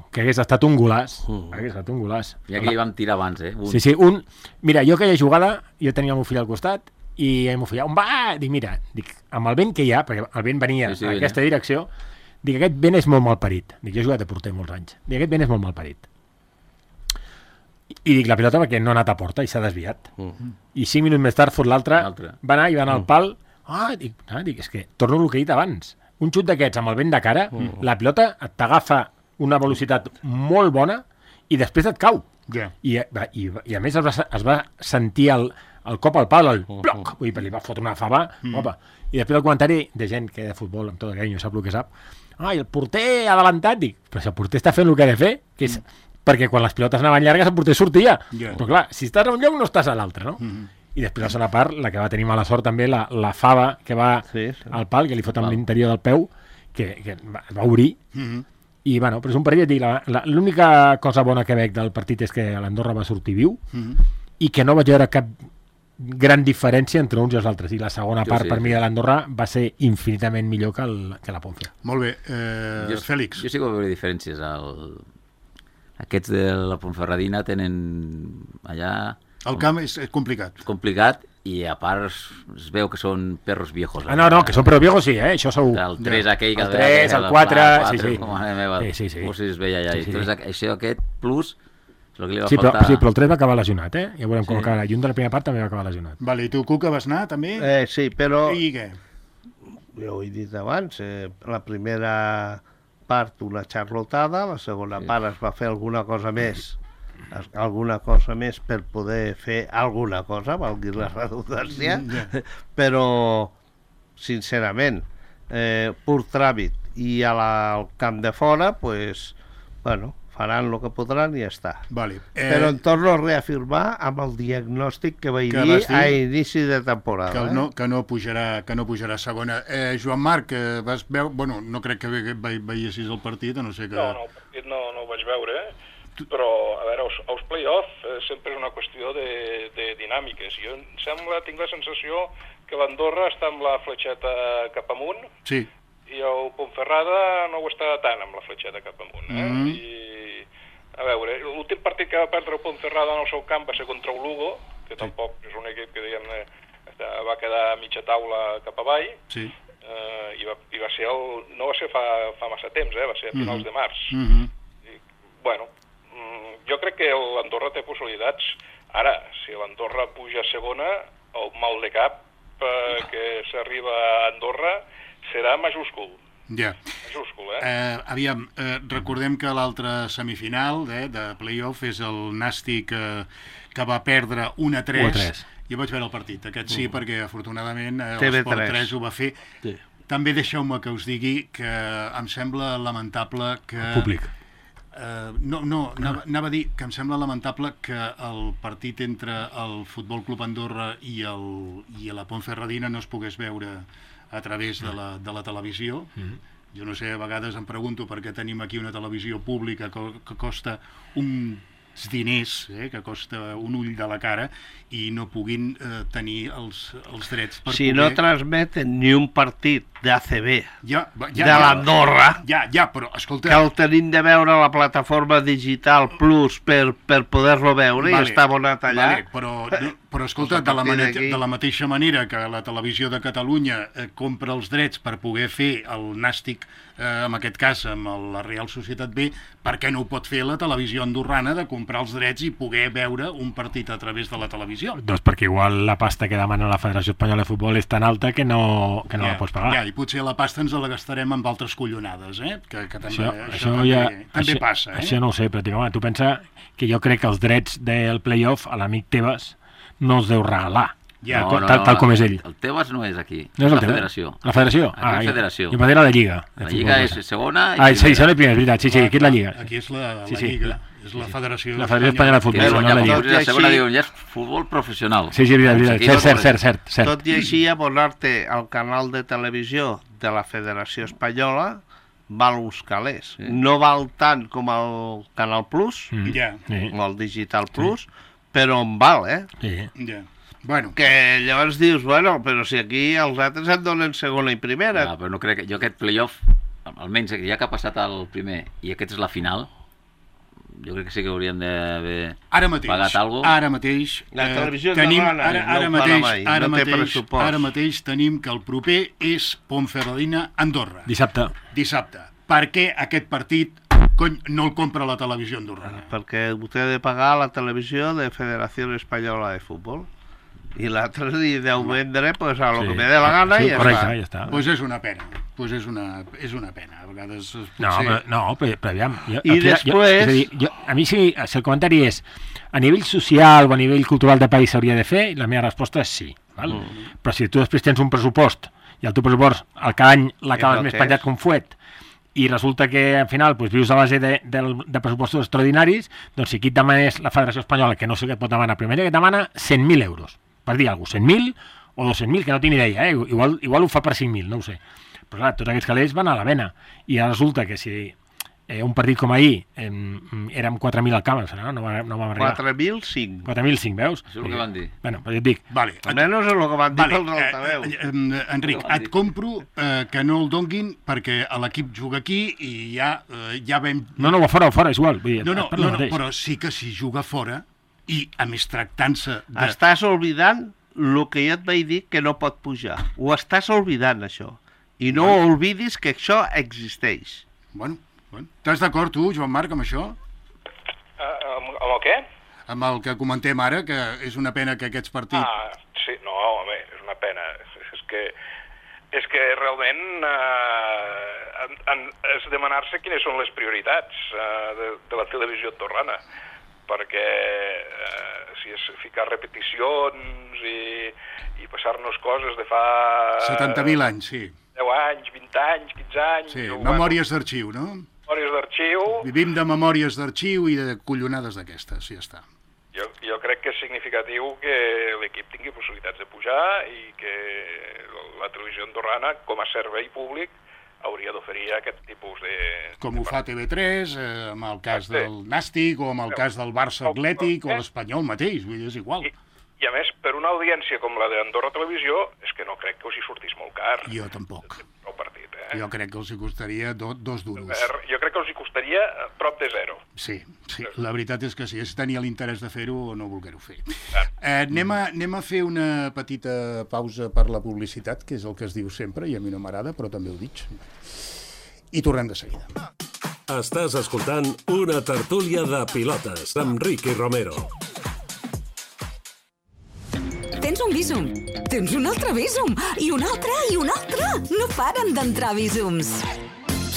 que hagués estat un golaç, Mm. hagués estat un golaç. Ja que hi vam tirar abans, eh? Un. Sí, sí, un... Mira, jo aquella jugada, jo tenia el meu fill al costat, i m'ho feia, on va? Dic, mira, dic, amb el vent que hi ha, perquè el vent venia Sí, sí, en venia. aquesta direcció, dic, aquest vent és molt malparit. Dic, jo he jugat de porter molts anys. Dic, aquest vent és molt malparit. I dic, la pilota perquè no ha anat a porta i s'ha desviat. Mm. I cinc minuts més tard fot l'altre, L'altre. va anar i va anar al pal. Ah, dic, ah, dic, és que torno el que he dit abans. Un xut d'aquests amb el vent de cara, la pilota t'agafa una velocitat molt bona i després et cau. Ja. I, i, i a més es va, es va sentir el, el cop al pal, el bloc, vull dir, li va fotre una fava, mm. opa. I després el comentari de gent que de futbol, amb tot el carinyo, sap el que sap, ai, el porter ha adelantat, dic, però si el porter està fent el que ha de fer, que és, mm. perquè quan les pilotes anaven llargues el porter sortia, Yeah. però clar, si estàs a un lloc no estàs a l'altre, no? Mm. I després la segona part, la que va tenir mala sort també, la, la fava que va Sí, sí. al pal, que li fot amb l'interior del peu, que, que va, va obrir, Mhm. i bueno, però és un partit, dic, la- la- l'única cosa bona que veig del partit és que l'Andorra va sortir viu Mhm. i que no vaig veure cap gran diferència entre uns i els altres, i la segona Jo part sí, per sí. mi de l'Andorra va ser infinitament millor que, el, que la Ponfe. Molt bé. Eh, Jo, Fèlix. Jo sí que veure diferències. El... Aquests de la Ponferradina tenen allà El camp és, és complicat. complicat i a part es, es veu que són perros viejos. Ah, no, no, que són però viejos sí, eh? Això segur. El tres Ja. aquell que El es veia tres, que el la quatre, pla- sí, sí. Com a meva, Sí, sí, sí. com si es veia allà. Sí, sí. I Entonces, això aquest plus és el que li va Sí però, faltar. sí, però el tres va acabar lesionat, eh? Ja veurem com Sí. acaba. I un de la primera part també va acabar lesionat. Vale, i tu, Cuca, vas anar també? Eh, sí, però I què? jo ho he dit abans, eh, la primera part una xarlotada, la segona Sí. part es va fer alguna cosa més, es- alguna cosa més per poder fer alguna cosa, valgui la redundància, Mm, ja. però sincerament, eh, pur tràmit i a la, al camp de fora, pues, bueno, faran el que podran i ja està. Vale. Eh... Però em torno a reafirmar amb el diagnòstic que vaig Que dir vas dir a inici de temporada. que, eh? no, que, no pujarà, que no pujarà a segona. Eh, Joan Marc, eh, vas veure... Bueno, no crec que ve, ve, veiessis el partit, a no ser que... No, no, el partit no, no ho vaig veure, eh? però, a veure, els, els play-off eh, sempre és una qüestió de, de dinàmiques. Jo em sembla, tinc la sensació que l'Andorra està amb la fletxeta cap amunt Sí. i el Ponferrada no ho està tant amb la fletxeta cap amunt. Eh? Mhm. I, a veure, l'últim partit que va perdre el Ponferrada en el seu camp va ser contra el Lugo, que tampoc és un equip que, diguem-ne, va quedar a mitja taula cap avall, Sí. eh, i, va, i va ser el, no va ser fa, fa massa temps, eh? Va ser a finals Mhm. de març. Mhm. I, bueno, mm, jo crec que l'Andorra té possibilitats. Ara, si l'Andorra puja a segona, el mal de cap eh, que s'arriba a Andorra serà majúscul. Ja. Majúscul, eh? Eh, aviam, eh, recordem que l'altra semifinal eh, de playoff és el Nàstic eh, que va perdre un a tres. u a tres. Jo vaig veure el partit, aquest sí, Mm. perquè afortunadament eh, T V l'Esport tres. tres ho va fer. Sí. També deixeu-me que us digui que em sembla lamentable que... El públic. Eh, no, no, anava, anava a dir que em sembla lamentable que el partit entre el Futbol Club Andorra i, el, i la Ponferradina no es pogués veure a través de la, de la televisió. Mm. Jo no sé, a vegades em pregunto per què tenim aquí una televisió pública que, que costa uns diners, eh, que costa un ull de la cara, i no puguin eh, tenir els, els drets per Si poder... no transmeten ni un partit d'A C B ja, va, ja, de ja, l'Andorra, Ja, ja, però, escolta... que el tenim de veure a la plataforma digital Plus per, per poder-lo veure i està abonat allà. Vale, però, no, però escolta, Pues a de la, partir mane- d'aquí- de la mateixa manera que la televisió de Catalunya eh, compra els drets per poder fer el Nàstic, eh, en aquest cas amb el- la Real Societat B, per què no ho pot fer la televisió andorrana de comprar els drets i poder veure un partit a través de la televisió? Doncs perquè igual la pasta que demana la Federació Espanyola de Futbol és tan alta que no, que no ja, la pots pagar. Ja, i potser la pasta ens la gastarem amb altres collonades, eh? Que, que també, Això, això, això, també, ja, també això, passa, eh? Això no ho sé, però dic, home, tu pensa que jo crec que els drets del play-off a l'amic Tebas no els deu regalar, Ja, tal, tal, tal com és ell. El Tebas no és aquí, No és el la Tebas? federació. La federació? Aquí Ah, és jo- federació. Jo m'agrada la Lliga. de La futbol, Lliga és no sé. segona i Ah, sí, primera. segona i primera, és veritat. Sí, sí, aquí és la Lliga. Aquí és la, la Sí, sí, Lliga, la- és la Federació La Federació Espanyola de Que Futbol, és no ja, la quan Lliga. puges a Tot i segona així- diuen, ja és futbol professional. Sí, sí, és veritat, és Aquí veritat. no Cert, és cert, cert, cert. Tot i així, abonar-te al canal de televisió de la Federació Espanyola val uns calés. Sí. No val tant com el Canal Plus, Mm. Ja, Sí, o el Digital Plus, però en val, eh? sí. ja. Bueno, Que llavors dius, bueno, però si aquí els altres et donen segona i primera. Ja, però no crec que... Jo aquest playoff, almenys ja que ha passat el primer i aquest és la final, jo crec que sí que hauríem d'haver Ara mateix, pagat alguna ara mateix, La eh, televisió tenim, andorrana ara, no ara, ho farà mateix, mai, ara, no té mateix, pressupost. ara mateix tenim que el proper és Ponferradina-Andorra, Dissabte. dissabte. Per què aquest partit cony, no el compra la televisió andorrana? Perquè vostè ha de pagar la televisió de Federació Espanyola de Futbol. I l'altre li deu vendre pues, a lo Sí. que me dé la gana Sí, i ja correcte, està. ja està. Doncs pues és una pena, pues és, una, és una pena. A vegades es pot No, ser... però, no, però, però aviam... Jo, I aquí, després- Jo, és a dir, jo, a mi sí, si el comentari és a nivell social o a nivell cultural de país s'hauria de fer, la meva resposta és sí. Val? Mm. Però si tu després tens un pressupost i el teu pressupost al cada any l'acabes És el més que penjat és. com fuet i resulta que al final pues, vius a base de, de, de pressupostos extraordinaris, doncs si aquí et demanes la Federació Espanyola, que no sé què et pot demanar, primer que et demana cent mil euros, per dir alguna cosa, cent mil o dos-cents mil, que no tinc idea, eh? igual, igual ho fa per cinc mil, no ho sé. Però clar, tots aquests calés van a la vena. I ara resulta que si eh, un partit com ahir eh, érem quatre mil al camp, no, no, va, no vam arribar. quatre mil cinc. quatre mil cinc, veus? Això és el que van dir. Bueno, però jo et dic, Vale, Almenys és el que van dir vale, pels altaveus. eh, eh, Enric, et compro eh, que no el donguin perquè l'equip juga aquí i ja, eh, ja vam... no, no, va fora, va fora, és igual. Vull dir, No, no, et parlo no, no, mateix. però sí que si juga fora i, a més, tractant-se de... Estàs oblidant el que jo et vaig dir que no pot pujar. Ho estàs oblidant, això. I no Bueno. oblidis que això existeix. Bueno, bueno. Estàs d'acord tu, Joan Marc, amb això? Uh, amb, amb el què? Amb el que comentem ara, que és una pena que aquests partits... Ah, sí, no, home, és una pena. És que, és que realment eh, en, en, és demanar-se quines són les prioritats eh, de, de la televisió andorrana, perquè eh, si és ficar repeticions i, i passar-nos coses de fa... setanta mil anys, sí. deu anys, vint anys, quinze anys... Sí, o, memòries d'arxiu, no? Bueno, memòries d'arxiu. Vivim de memòries d'arxiu i de collonades d'aquestes, ja està. Jo, jo crec que és significatiu que l'equip tingui possibilitats de pujar i que la televisió andorrana, com a servei públic, hauria d'oferir aquest tipus de... Com ho fa T V tres, eh, amb el cas Exacte. del Nàstic, o amb el cas del Barça Atlètic, o l'Espanyol mateix, vull dir, és igual. I, I a més, per una audiència com la d'Andorra Televisió, és que no crec que us hi sortís molt car. Jo tampoc. El partit, eh? Jo crec que els hi costaria do, dos duros. Per- Jo crec que us hi costaria eh, prop de zero. Sí, sí, la veritat és que sí, és tenir l'interès de fer-ho o no voler-ho fer. Eh, anem, a, anem a fer una petita pausa per la publicitat, que és el que es diu sempre, i a mi no m'agrada, però també ho dic. I tornem de seguida. Estàs escoltant una tertúlia de pilotes amb Ricky Romero. Tens un Bizum, tens un altre Bizum, i un altre, i un altre. No paren d'entrar Bizums.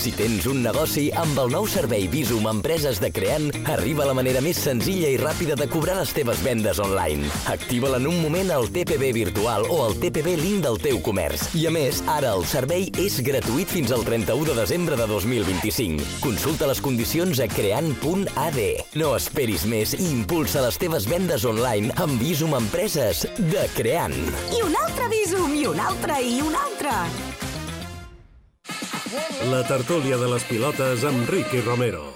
Si tens un negoci, amb el nou servei Bizum Empreses de Creant, arriba la manera més senzilla i ràpida de cobrar les teves vendes online. Activa-la en un moment al T P B virtual o al T P B link del teu comerç. I a més, ara el servei és gratuït fins al trenta-u de desembre de dos mil vint-i-cinc. Consulta les condicions a creant punt a d. No esperis més i impulsa les teves vendes online amb Bizum Empreses de Creant. I un altre Bizum, i un altre, i un altre. La tertúlia de les pilotes amb Ricky Romero.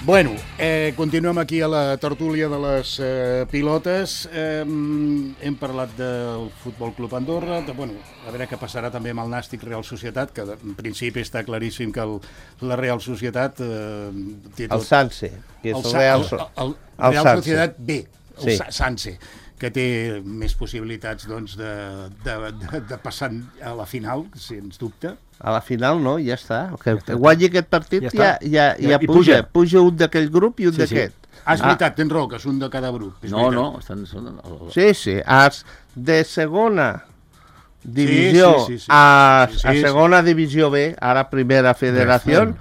Bueno, eh, continuem aquí a la tertúlia de les eh, pilotes. Eh, hem parlat del Futbol Club Andorra, de, bueno, a veure què passarà també amb el Nàstic Real Societat, que en principi està claríssim que el, la Real Societat... Eh, té tot... El Sanse, que és el, Sa- Real, el, so el, el el Real Sanse. Societat B, el Sí. Sa- Sanse, que té més possibilitats doncs, de, de, de, de passar a la final, sens dubte. A la final no, ja està. Que, que guanyi aquest partit Ja ja, ja, està. ja, Ja- ja i puja. puja. Puja un d'aquell grup i un Sí, sí. d'aquest. Ah, és veritat, tens raó, que és un de cada grup. És No, veritat. no, estan... Són... el- Sí, sí. As de segona divisió sí, sí, sí. a, Sí, sí, a sí. segona divisió B, ara primera federació, Bueno.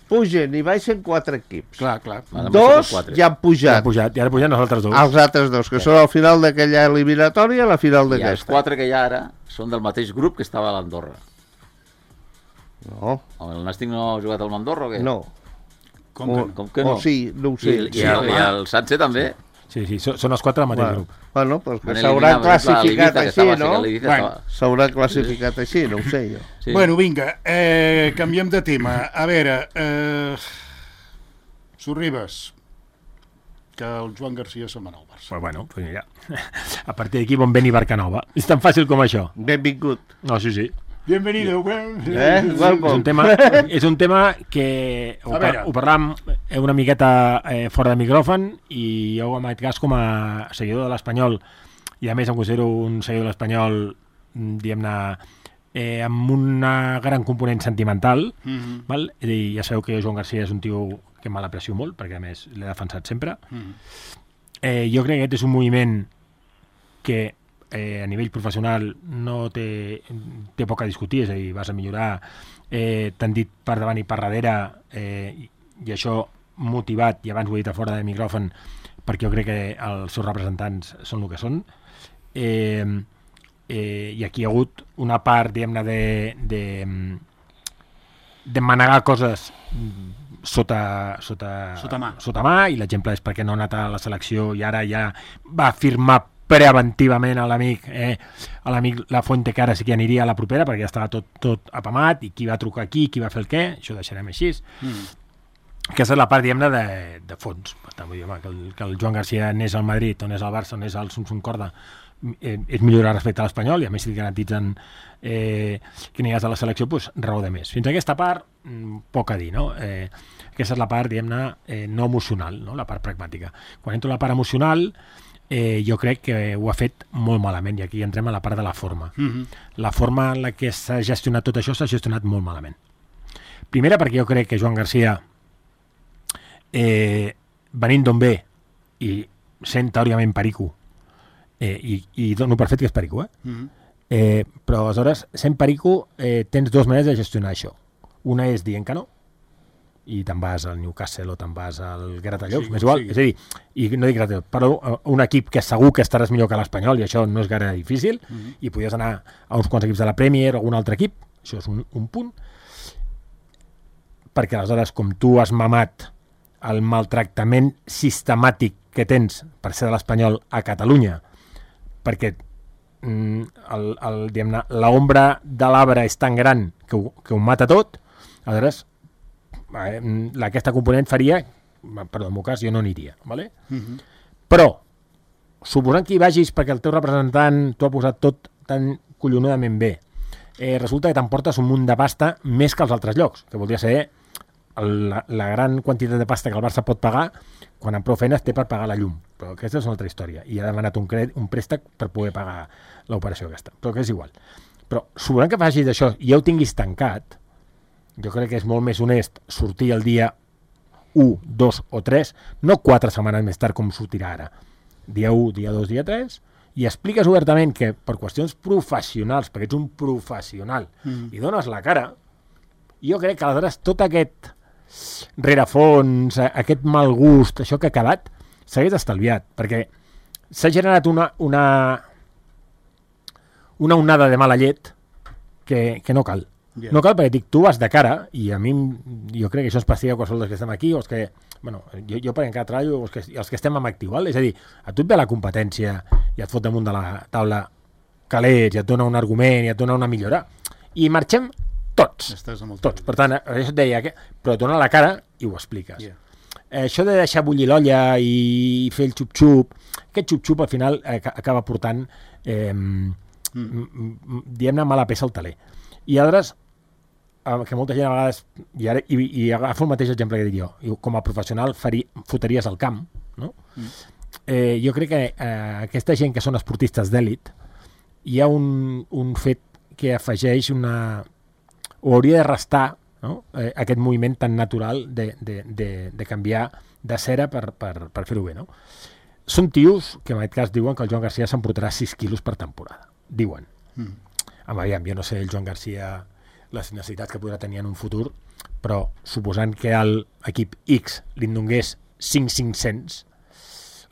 pugen i baixen quatre equips. Clar, clar. Ara Dos quatre. ja han Ja pujat. han pujat, i ara pugen els altres dos. Els altres dos, que són al final d'aquella eliminatòria i a la final I els d'aquesta. quatre que hi ha ara són del mateix grup que estava a l'Andorra. No, El Nàstic no ha jugat al Andorra o què? no. Com o, que no? Com que no? O sí, no ho I, sé. i, Sí, el, i home. el Sánchez també. Sí, sí, són, són els quatre del mateix bueno, grup. bueno, pues que Van s'hauran eliminar, per exemple, classificat l'Ibiza, que així, estava- no? l'Ibiza Bueno. estava- S'haurà classificat així, no ho sé jo. Sí. Bueno, vinga, eh, canviem de tema. A veure, eh, Sorribes, que el Joan Garcia se'n va anar al Barça. Però bueno, pues mira, a partir d'aquí bon vent i barca nova. És tan fàcil com això. Benvingut. No, sí, sí. Bienvenido. Eh? És un tema, és un tema que ho, par ho parlàvem una miqueta eh, fora de micròfon, i jo en aquest cas, com a seguidor de l'Espanyol, i a més em considero un seguidor de l'Espanyol, diguem-ne, eh, amb una gran component sentimental, mm-hmm. val? És a dir, ja sabeu que Joan Garcia és un tio que me l'aprecio molt, perquè a més l'he defensat sempre. Mm-hmm. eh, jo crec que aquest és un moviment que Eh, a nivell professional no té, té poc a discutir, és a dir, vas a millorar, eh, t'han dit per davant i per darrere, eh, i, i això motivat, i abans ho he dit a fora de micròfon, perquè jo crec que els seus representants són el que són, eh, eh, i aquí hi ha hagut una part, diguem-ne, de, de, de manegar coses sota, sota, sota mà, sota mà, i l'exemple és perquè no ha anat a la selecció i ara ja va firmar preventivament a l'amic eh, a l'amic La Fuente, que ara sí que aniria a la propera perquè ja estava tot, tot apamat, i qui va trucar aquí, qui va fer el què, això ho deixarem així. Mm. Aquesta és la part, diguem-ne, de, de fons. Per tant, vull dir, home, que, el, que el Joan Garcia anés al Madrid, o anés al Barça, o anés al Sumsum Corda, eh, és millorar respecte a l'Espanyol, i a més si garantitzen eh, que aniràs a la selecció, doncs raó de més. Fins a aquesta part, poc a dir, no? Eh, aquesta és la part, diguem-ne, eh, no emocional, no? La part pragmàtica. Quan entro a la part emocional, Eh, jo crec que ho ha fet molt malament, i aquí entrem a la part de la forma. Mm-hmm. La forma en la que s'ha gestionat tot això s'ha gestionat molt malament. Primera, perquè jo crec que Joan Garcia, eh, venint d'on ve i sent teòricament perico, eh, i, i dono per fet que és perico, eh? Mm-hmm. eh, però aleshores, sent perico, eh, tens dues maneres de gestionar això. Una és dient que no, i te'n vas al Newcastle o te'n vas al Gratallops, sí, m'és igual. Sí. És a dir, i no dic Gratallops, però un equip que segur que estaràs millor que l'Espanyol, i això no és gaire difícil, mm-hmm. i podies anar a uns quants equips de la Premier o algun altre equip, això és un, un punt, perquè aleshores, com tu has mamat el maltractament sistemàtic que tens per ser de l'Espanyol a Catalunya, perquè mm, el, el, diguem-ne, l'ombra de l'arbre és tan gran que ho, que ho mata tot, aleshores aquesta component faria, perdó, en el meu cas jo no aniria, ¿vale? Uh-huh. Però suposant que hi vagis perquè el teu representant t'ho ha posat tot tan collonudament bé, eh, resulta que t'emportes un munt de pasta més que als altres llocs, que voldria ser el, la, la gran quantitat de pasta que el Barça pot pagar quan amb prou feines té per pagar la llum, però aquesta és una altra història, i ha demanat un, crèdit, un préstec per poder pagar l'operació aquesta, però que és igual. Però suposant que facis això i ja ho tinguis tancat, jo crec que és molt més honest sortir el dia u, dos o tres, no quatre setmanes més tard com sortirà ara. Dia u, dia dos, dia tres, i expliques obertament que per qüestions professionals, perquè ets un professional, mm. i dones la cara, jo crec que aleshores tot aquest rerefons, aquest mal gust, això que ha quedat, s'hagués estalviat, perquè s'ha generat una, una, una onada de mala llet que, que no cal. Yeah. No cal, perquè dic, tu vas de cara, i a mi jo crec que això es passia a qualsevol dels que estem aquí, o els que, bueno, jo, jo per encara treballo, els que, els que estem en actiu, val? És a dir, a tu et ve la competència i et fot damunt de la taula calés, i et dona un argument, i et dona una millora, i marxem tots, tots. Per tant, això et deia, que, però et dona la cara i ho expliques. Yeah. Eh, això de deixar bullir l'olla i fer el xup-xup, aquest xup-xup al final eh, acaba portant, eh, mm. diguem-ne, mala peça al taler. I aleshores, que molta gent a vegades, i, ara, i, i agafo el mateix exemple que dic jo, i com a professional faria, foteries al camp, no? Mm. Eh, jo crec que eh, aquesta gent que són esportistes d'èlit, hi ha un, un fet que afegeix una, o hauria de restar, no? eh, aquest moviment tan natural de, de, de, de canviar de cera per, per, per fer-ho bé, no? Són tios que en aquest cas diuen que el Joan Garcia s'emportarà sis quilos per temporada, diuen. Mm. Home, aviam, jo no sé el Joan Garcia les necessitats que podrà tenir en un futur, però suposant que l'equip X li donés cinc mil cinc-cents,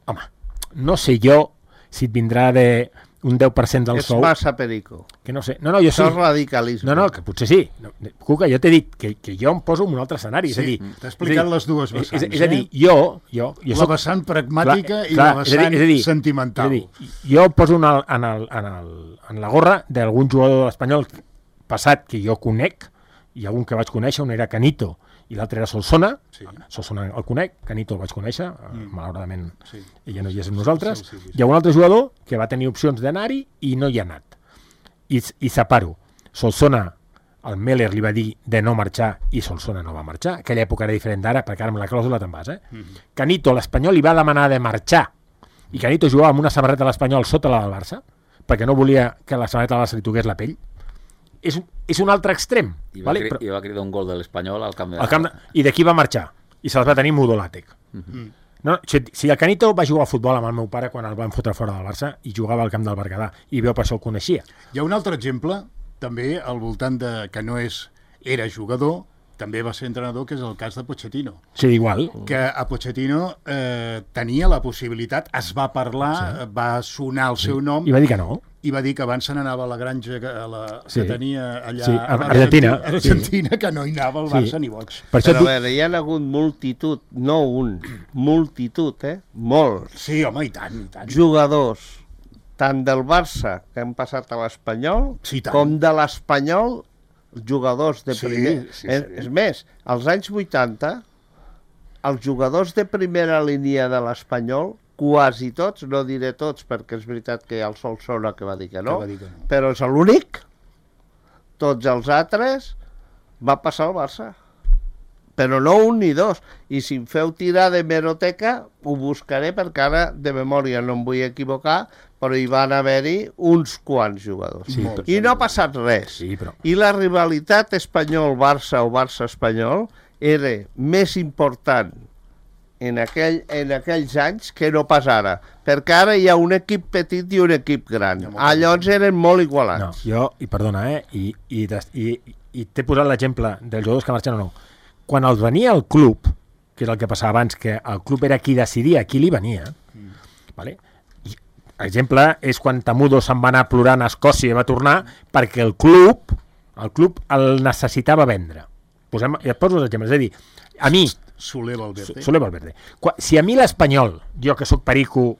home, no sé jo si et vindrà de un deu per cent del és sou... És massa perico. Que no sé. No, no, jo Això sí. és radicalisme. No, no, que potser sí. No, Cuca, jo t'he dit que, que jo em poso en un altre escenari. Sí, és a dir, t'he explicat les dues vessants. És, és, és a dir, jo... jo, jo la soc, vessant pragmàtica clar, i clar, la vessant és a dir, és a dir, sentimental. És a dir, jo poso en, el, en, el, en, el, en la gorra d'algun jugador espanyol passat que jo conec, i algun que vaig conèixer, un era Canito i l'altre era Solsona, sí. Solsona el conec, Canito el vaig conèixer, mm. malauradament sí. ella no hi és amb nosaltres, sí, sí, sí, sí. Hi ha un altre jugador que va tenir opcions d'anar-hi i no hi ha anat, i, i separo Solsona, el Meller li va dir de no marxar i Solsona no va marxar. Aquella època era diferent d'ara, perquè ara amb la clàusula te'n vas, eh? Mm-hmm. Canito, l'Espanyol, li va demanar de marxar i Canito jugava amb una samarreta de l'Espanyol sota la del Barça, perquè no volia que la samarreta del Barça li toqués la pell. És, és un altre extrem. I va, vale? cri Però, i va cridar un gol de l'Espanyol al camp de... Al camp de... I d'aquí va marxar. I se'ls va tenir Mudo Làtec. Mm-hmm. No, si, si el Canito va jugar a futbol amb el meu pare quan el van fotre fora del Barça i jugava al camp del Berguedà i veu per això el coneixia. Hi ha un altre exemple també al voltant de que no és era jugador, també va ser entrenador, que és el cas de Pochettino. Sí, igual. Que a Pochettino eh, tenia la possibilitat, es va parlar, sí. va sonar el seu nom... I va dir que no. I va dir que abans se n'anava a la granja que, a la, sí. que tenia allà sí. a Argentina, a Argentina sí. que no hi anava el Barça sí. ni boig. Per Però tu... a veure, hi ha hagut multitud, no un, multitud, eh? Molts. Sí, home, i tant, i tant. Jugadors, tant del Barça, que han passat a l'Espanyol, sí, com de l'Espanyol, jugadors de sí, primer... Sí, és, sí. és més, als anys vuitanta, els jugadors de primera línia de l'Espanyol, quasi tots, no diré tots, perquè és veritat que hi ha el Solsona que va dir que no, que dir que no. però és l'únic, tots els altres, va passar al Barça. Però no un ni dos. I si em feu tirar de meroteca, ho buscaré, perquè ara de memòria no em vull equivocar, però hi van haver-hi uns quants jugadors. Sí, I no ha passat res. Sí, però... I la rivalitat espanyol-Barça o Barça-espanyol era més important en, aquell, en aquells anys que no pas ara, perquè ara hi ha un equip petit i un equip gran. No, llavors eren molt igualats. No, jo, i perdona, eh, i, i, i, i t'he posat l'exemple dels jugadors que marxen o no. Quan els venia el club, que és el que passava abans, que el club era qui decidia qui li venia, mm. vale? I, exemple és quan Tamudo se'n va anar plorant a Escòcia i va tornar perquè el club, el club el necessitava vendre. Posem, ja et poso els exemples, és a dir, a mi, Soler Valverde. Soler Valverde. Si a mi l'Espanyol, jo que sóc perico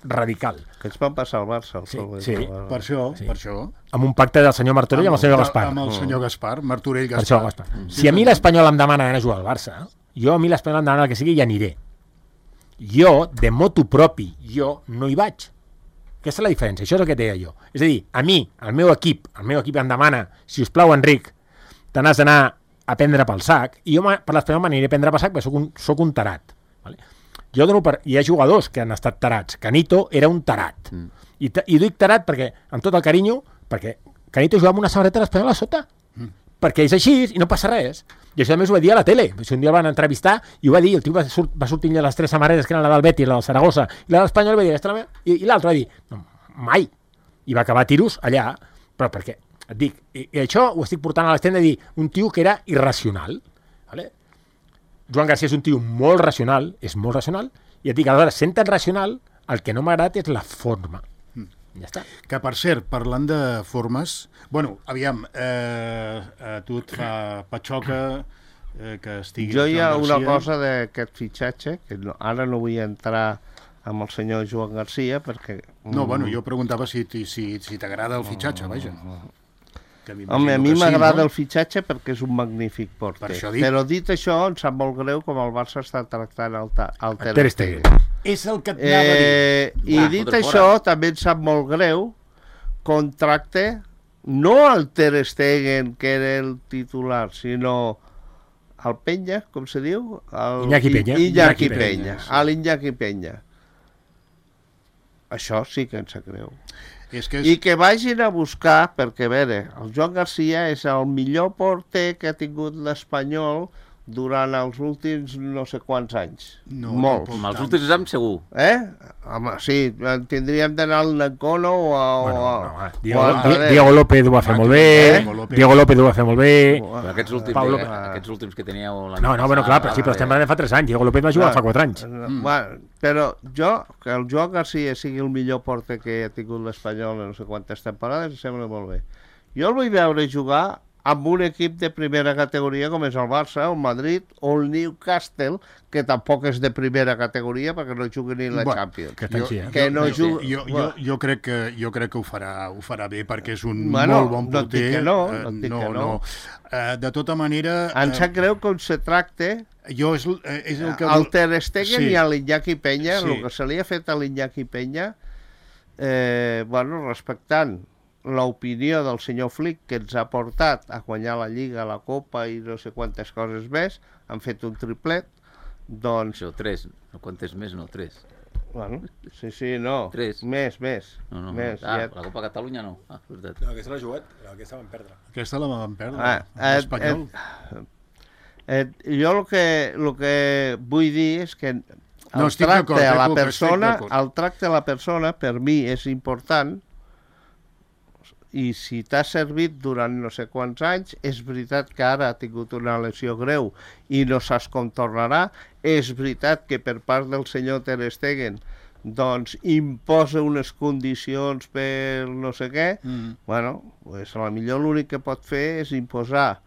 radical... Que ens van passar al Barça. El sí, sí. sí. Per això, sí. per això. Amb un pacte del senyor Martorell i amb el senyor Gaspar. Amb el senyor Gaspar, Martorell Gaspar. Per això, Gaspar. Mm. Si a mi l'Espanyol em demana anar a jugar al Barça, jo a mi l'Espanyol em demana el que sigui i aniré. Jo, de motu propi, jo no hi vaig. Aquesta és la diferència, això és el que deia jo. És a dir, a mi, el meu equip, el meu equip em demana, si us plau, Enric, te n'has d'anar a prendre pel sac, i jo per l'Espanyol m'aniré a prendre pel sac perquè soc un, soc un tarat. Vale? Jo dono per... Hi ha jugadors que han estat tarats. Canito era un tarat. Mm. I, I dic tarat perquè, amb tot el carinyo, perquè Canito jugava amb una samarreta de l'Espanyol a sota. Mm. Perquè és així i no passa res. I això també us ho va dir a la tele. Si un dia el van entrevistar i ho va dir, el tio va, surt, va sortir de les tres samarretes que eren la del Betis, la del Saragossa i la de l'Espanyol, va dir, la i, i l'altre va dir, no, mai. I va acabar a tiros allà, però perquè et dic, i, i això ho estic portant a l'extrem de dir un tio que era irracional. Vale? Joan Garcia és un tio molt racional, és molt racional, i et dic, aleshores, sent tan racional, el que no m'agrada és la forma. Mm. Ja està. Que, per cert, parlant de formes... Bueno, aviam, eh, a tu et fa patxoca eh, que estigui... Jo hi ha una cosa d'aquest fitxatge, que no, ara no vull entrar amb el senyor Joan Garcia, perquè... No, bueno, jo preguntava si, si, si t'agrada el fitxatge, vaja. Home, a mi m'agrada sí, no? el fitxatge perquè és un magnífic porter. Per Però dit això, em sap molt greu com el Barça està tractant el, el Ter Stegen. És el que et anava a dir. Eh, I ah, dit això, fora. També em sap molt greu contracte no el Ter Stegen, que era el titular, sinó el Penya, com se diu? El... Iñaki Peña. Iñaki, Iñaki Peña, Peña sí. A l'Iñaki Peña. Això sí que em sap greu. És que és... I que vagin a buscar, perquè a veure, el Joan Garcia és el millor porter que ha tingut l'Espanyol durant els últims no sé quants anys. No, molts. Amb els últims anys segur. Eh? Home, sí, tindríem d'anar al Nancono o a... Bueno, o a, no, no, Diego, o a Diego López ho va fer molt bé, eh? Diego López ho va fer molt bé... Però aquests últims, Pablo... eh, aquests últims que teníeu... No, no, bueno, clar, però sí, però estem parlant de fa tres anys. Diego López va jugar no, fa quatre anys. Mm. Bueno, però jo, que el Joan Garcia sigui el millor porter que ha tingut l'Espanyol en no sé quantes temporades, em sembla molt bé. Jo el vull veure jugar amb un equip de primera categoria com és el Barça, el Madrid o el Newcastle, que tampoc és de primera categoria perquè no jugui ni la bueno, Champions. Que, jo, eh? que no jo, jugui... Jo, jo, jo, crec que, jo crec que ho farà, ho farà bé perquè és un bueno, molt bon porter. No, no, no, no, no, no. no. Uh, de tota manera... Em sap greu com se tracte jo és, és el que... el Ter Stegen sí. i a l'Iñaki Peña, sí. el que se li ha fet a l'Iñaki Peña, eh, bueno, respectant l'opinió del senyor Flick, que ens ha portat a guanyar la Lliga, la Copa i no sé quantes coses més, han fet un triplet, doncs... Això, tres, no quantes més, no, tres. Bueno, sí, sí, no, tres. Més, més. No, no, més ah, ja... la Copa Catalunya no. Ah, veritat. No, aquesta l'ha jugat, aquesta van perdre. Aquesta la vam perdre, Ah, l'Espanyol. eh, eh, jo el que, el que vull dir és que el No, estic tracte d'acord, a la eh, Cuca, estic persona, d'acord. el tracte a la persona per mi és important, i si t'ha servit durant no sé quants anys, és veritat que ara ha tingut una lesió greu i no saps com tornarà, és veritat que per part del senyor Ter Stegen doncs imposa unes condicions per no sé què, Mm. bueno, pues a la millor l'únic que pot fer és imposar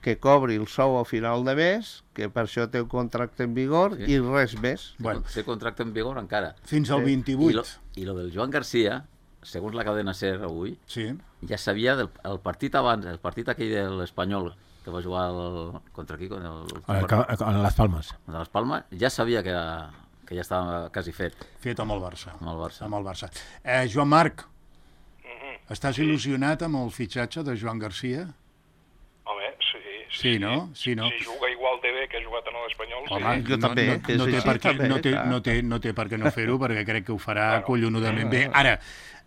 que cobri el sou a final de mes, que per això té un contracte en vigor, Sí. i res més. Bueno. Té contracte en vigor encara. Fins al Sí. I vint-i-vuit. lo, I lo del Joan Garcia, segons la cadena SER avui, Sí. ja sabia del el partit abans, el partit aquell de l'Espanyol, que va jugar el, contra qui? Con el, A les Palmes. contra les Palmes, ja sabia que, que ja estava quasi fet Fet amb el Barça. amb el Barça. Amb el Barça. Eh, Joan Marc, estàs il·lusionat amb el fitxatge de Joan Garcia? Home, sí. Sí, no? Sí, no? Si juga igual de bé que ha jugat en l'Espanyol, sí. Home, Jo també, no, és no, no, té així, per què, també, no, té, clar. no, té, no té per què no fer-ho, perquè crec que ho farà collonudament bé. Ara,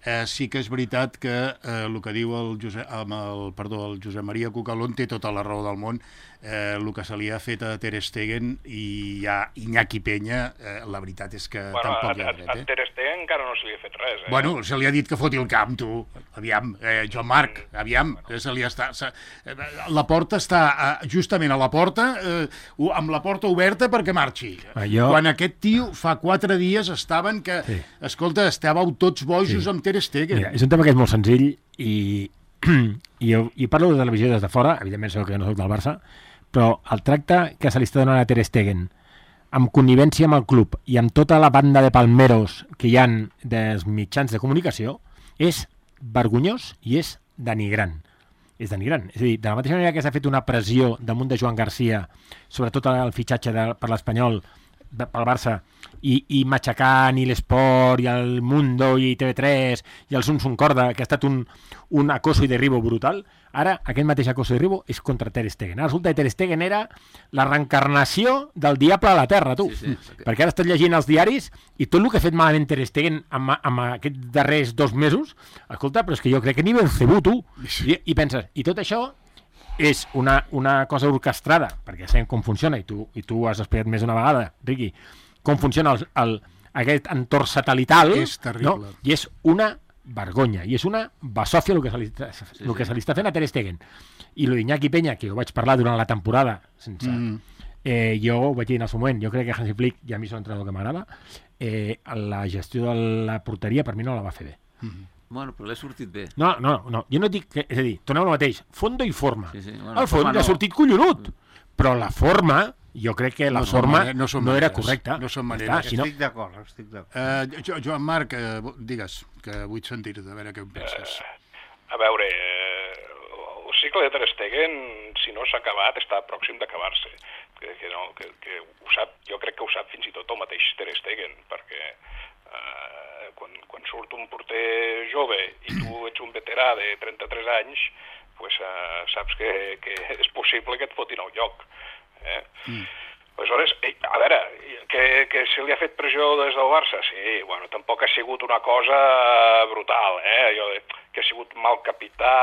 eh, sí que és veritat que eh, el que diu el Josep, amb el, perdó, el Josep Maria Cucalón té tota la raó del món. Eh, el que se li ha fet a Ter Stegen i a Iñaki Peña, eh, la veritat és que Bueno, tampoc a, hi a, ha dret, a eh? Ter Stegen encara no se li ha fet res, eh? Bueno, se li ha dit que foti el camp, tu. Aviam, eh, Joan Marc, aviam, eh, se li està... Se, eh, la porta està eh, justament a la porta, eh, amb la porta oberta perquè marxi. Ah, jo- Quan aquest tio fa quatre dies estaven que... Sí. Escolta, estàveu tots bojos Sí. amb Ter Stegen. Mira, és un tema que és molt senzill i, i, jo, i parlo de televisió des de fora, evidentment sé que no soc del Barça, però el tracte que se li està donant a Ter Stegen amb connivència amb el club i amb tota la banda de palmeros que hi han dels mitjans de comunicació és vergonyós i és denigrant. És denigrant. És a dir, de la mateixa manera que s'ha fet una pressió damunt de Joan Garcia, sobretot el fitxatge de, per l'Espanyol, de- pel Barça, i, i matxacant i l'Esport i el Mundo i T V tres i el Sun Sun Corda, que ha estat un, un acoso i derribo brutal, ara aquest mateix acoso i derribo és contra Ter Stegen. Ara resulta que Ter Stegen era la reencarnació del diable a la terra, tu. Sí, sí. Perquè ara estàs llegint els diaris i tot el que ha fet malament Ter Stegen amb, amb aquests darrers dos mesos, escolta, però és que jo crec que ni Belcebú, tu. I, i penses, i tot això és una, una cosa orquestrada, perquè sabem com funciona, i tu, i tu has explicat més d'una vegada, Riqui, com funciona el, el, aquest entorn satelital, És terrible. no? I és una vergonya, i és una basòfia el que se li, sí, el que se li està fent a Ter Stegen. I lo d'Iñaki Peña, que ho vaig parlar durant la temporada, sense, Mm. eh, jo ho vaig dir en el seu moment, jo crec que Hansi Flick, i a mi és un entrenador que m'agrada, eh, la gestió de la porteria per mi no la va fer bé. Bueno, però l'he sortit bé. No, no, no, jo no dic que, és a dir, tornem al mateix, fondo i forma. Sí, sí, bueno, el fons forma ja ha no. sortit collonut, però la forma, jo crec que la No són forma mane- no són no era maneres, correcta. no són Ja maneres. està, si no, Estic d'acord, estic d'acord. Eh, Jo- Joan Marc, eh, digues, que vull sentir-te, a veure què en penses. A veure, eh, el cicle de Ter Stegen, si no s'ha acabat, està pròxim d'acabar-se. Que, que, no, que, que ho sap, jo crec que ho sap fins i tot el mateix Ter Stegen, perquè eh, quan, quan surt un porter jove i tu ets un veterà de trenta-tres anys, pues, eh, saps que, que és possible que et fotin al lloc. Eh? Mm. Aleshores, eh, a veure, que, que se li ha fet pressió des del Barça? Sí, bueno, tampoc ha sigut una cosa brutal, eh? Jo, que ha sigut mal capità,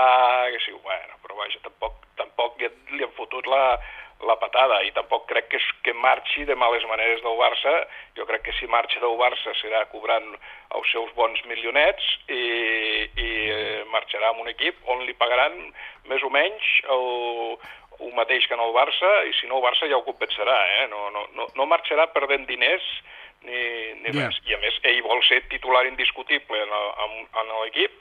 que ha sigut, bueno, però vaja, tampoc, tampoc li han fotut la, la patada i tampoc crec que, que marxi de males maneres del Barça. Jo crec que si marxa del Barça serà cobrant els seus bons milionets i, i eh, marxarà amb un equip on li pagaran més o menys el, el mateix que en el Barça, i si no el Barça ja ho compensarà, eh? No, no, no, no marxarà perdent diners ni, ni Ja. res. I a més, ell vol ser titular indiscutible en, el- en, en l'equip.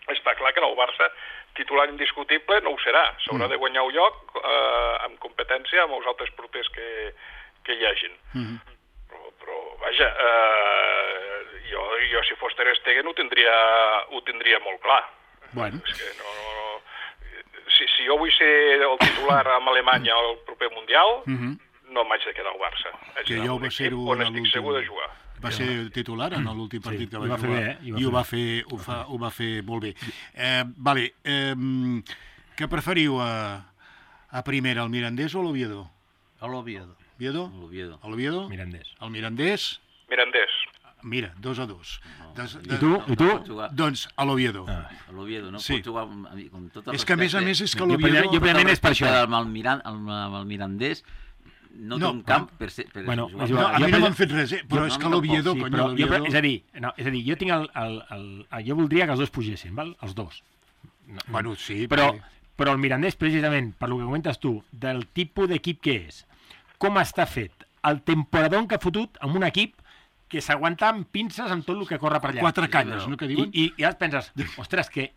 Està clar que en el Barça titular indiscutible no ho serà. S'haurà de guanyar un lloc eh, amb competència amb els altres porters que, que hi hagin. Mm. Però, però vaja, eh, jo, jo si fos Ter Stegen ho tindria, ho tindria molt clar. Bueno. És que no, no, no. Si, si jo vull ser el titular amb Alemanya al proper Mundial, Mhm. no m'haig de quedar al Barça. Haig Que d'anar ja ho a un va equip ser-ho on en estic l'últim- segur de jugar. va ser titular en l'últim partit Sí, que i va va fer jugar. bé, eh? I va I ho fer va fer, ho fa, ho va fer molt bé. Eh, vale, eh, què preferiu a, a primera, el Mirandés o l'Oviedo? A l'Oviedo. Oviedo? L'Oviedo. L'Oviedo? Mirandés. El Mirandés? Mirandés. Mira, dos a dos. Des, I tu? I tu? Doncs a l'Oviedo. Ah. A l'Oviedo, no? Sí. Pot jugar amb, amb, amb tot el És que a més a respecte. més és que Jo l'Oviedo... primer- jo primer és per això. Amb el, Miran, amb, amb el Mirandés no, No, té un camp per, ser, per Bueno, jugar. és No, igual. a mi Jo no per- m'han fet res, eh? però jo- és no, que l'Oviedo, Sí, cony, però jo, l'Oviedo... és a dir, no, és a dir, jo tinc el, el, el, el, jo voldria que els dos pugessin, val? Els dos. No, Bueno, sí, però, perquè- però el Mirandés, precisament, per lo que comentes tu, del tipus d'equip que és, com està fet, el temporadón que ha fotut amb un equip que s'aguanta amb pinces amb tot el que corre per allà. Quatre canyes, no, que I, diuen? i, i ara et penses, ostres, que,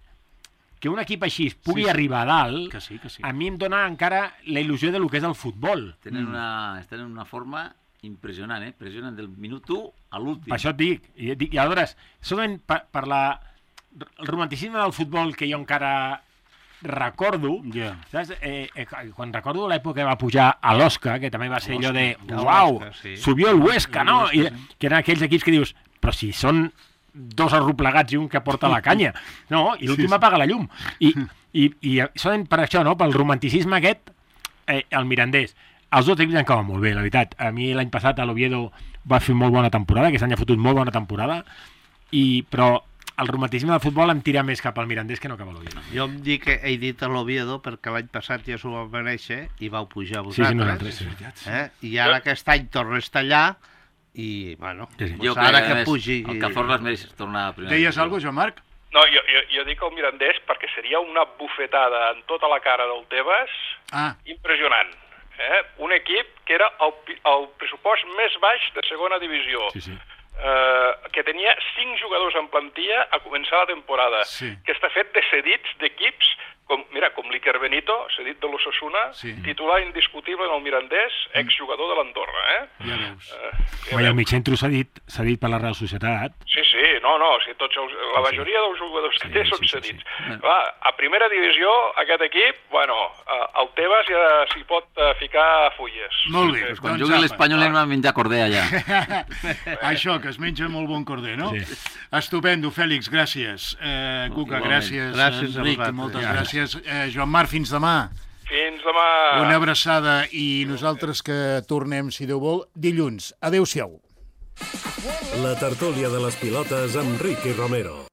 que un equip així es pugui Sí, sí. arribar a dalt, Que sí, que sí. a mi em dona encara la il·lusió de lo que és el futbol. Tenen una, estan en una forma impressionant, eh? Impressionant del minut u a l'últim. Per això et dic. I, et dic, i aleshores, solament per, per la, el romanticisme del futbol que jo encara recordo, Ja. saps? Eh, eh, quan recordo l'època que va pujar a l'Osca, que també va ser allò de, a uau, l'Osca, sí. subió el Huesca, no? El I, Huesca, sí. que eren aquells equips que dius, però si són dos arroplegats i un que porta la canya, no? I l'últim Sí, sí. apaga la llum. I, i, i solament per això, no? Pel romanticisme aquest, eh, el Mirandés. Els dos equips han acabat molt bé, la veritat. A mi l'any passat a l'Oviedo va fer molt bona temporada, aquest any ha fotut molt bona temporada, i, però el romanticisme del futbol em tira més cap al Mirandés que no cap a l'Oviedo. Jo em dic que he dit a l'Oviedo perquè l'any passat ja s'ho va mereixer i vau pujar Sí, sí, vosaltres. nosaltres, sí. Eh? I ara aquest any torna a estar allà i, bueno, Sí, sí. pues Jo ara crec que a més, pugi... el Cazorla es mereix tornar a primera. Deies divisió. alguna cosa, Joan Marc? No, jo, jo, jo dic el Mirandés perquè seria una bufetada en tota la cara del Tebas Ah, impressionant. Eh? Un equip que era el, pi- el pressupost més baix de segona divisió. Sí, sí. Eh, que tenia cinc jugadors en plantilla a començar la temporada, Sí. que està fet de cedits d'equips, com, mira, com l'Iker Benito, cedit de l'Osasuna, Sí. titular indiscutible en el Mirandés, exjugador de l'Andorra, eh? ja veus. Eh, ja Home, i el veus. mig centre s'ha dit, s'ha dit per la Real Societat. Sí, sí, no, no, o sigui, tots els, la majoria dels jugadors que Sí, té sí, són sí, sí. cedits. Clar, a primera divisió, aquest equip, bueno, eh, el Tebas ja s'hi pot eh, ficar fulles. Molt bé. Pues quan doncs jugui apa. l'Espanyol anem a menjar corder allà. Això, que es menja molt bon corder, no? Sí. Estupendo, Fèlix, gràcies. Eh, Cuca, Igualment. gràcies. Gràcies a Enric, vosaltres. moltes Ja. gràcies. Eh, Joan Marc, fins demà. Fins demà. Una abraçada i nosaltres que tornem, si Déu vol, dilluns. Adéu-siau. La tertúlia de les pilotes amb Ricky Romero.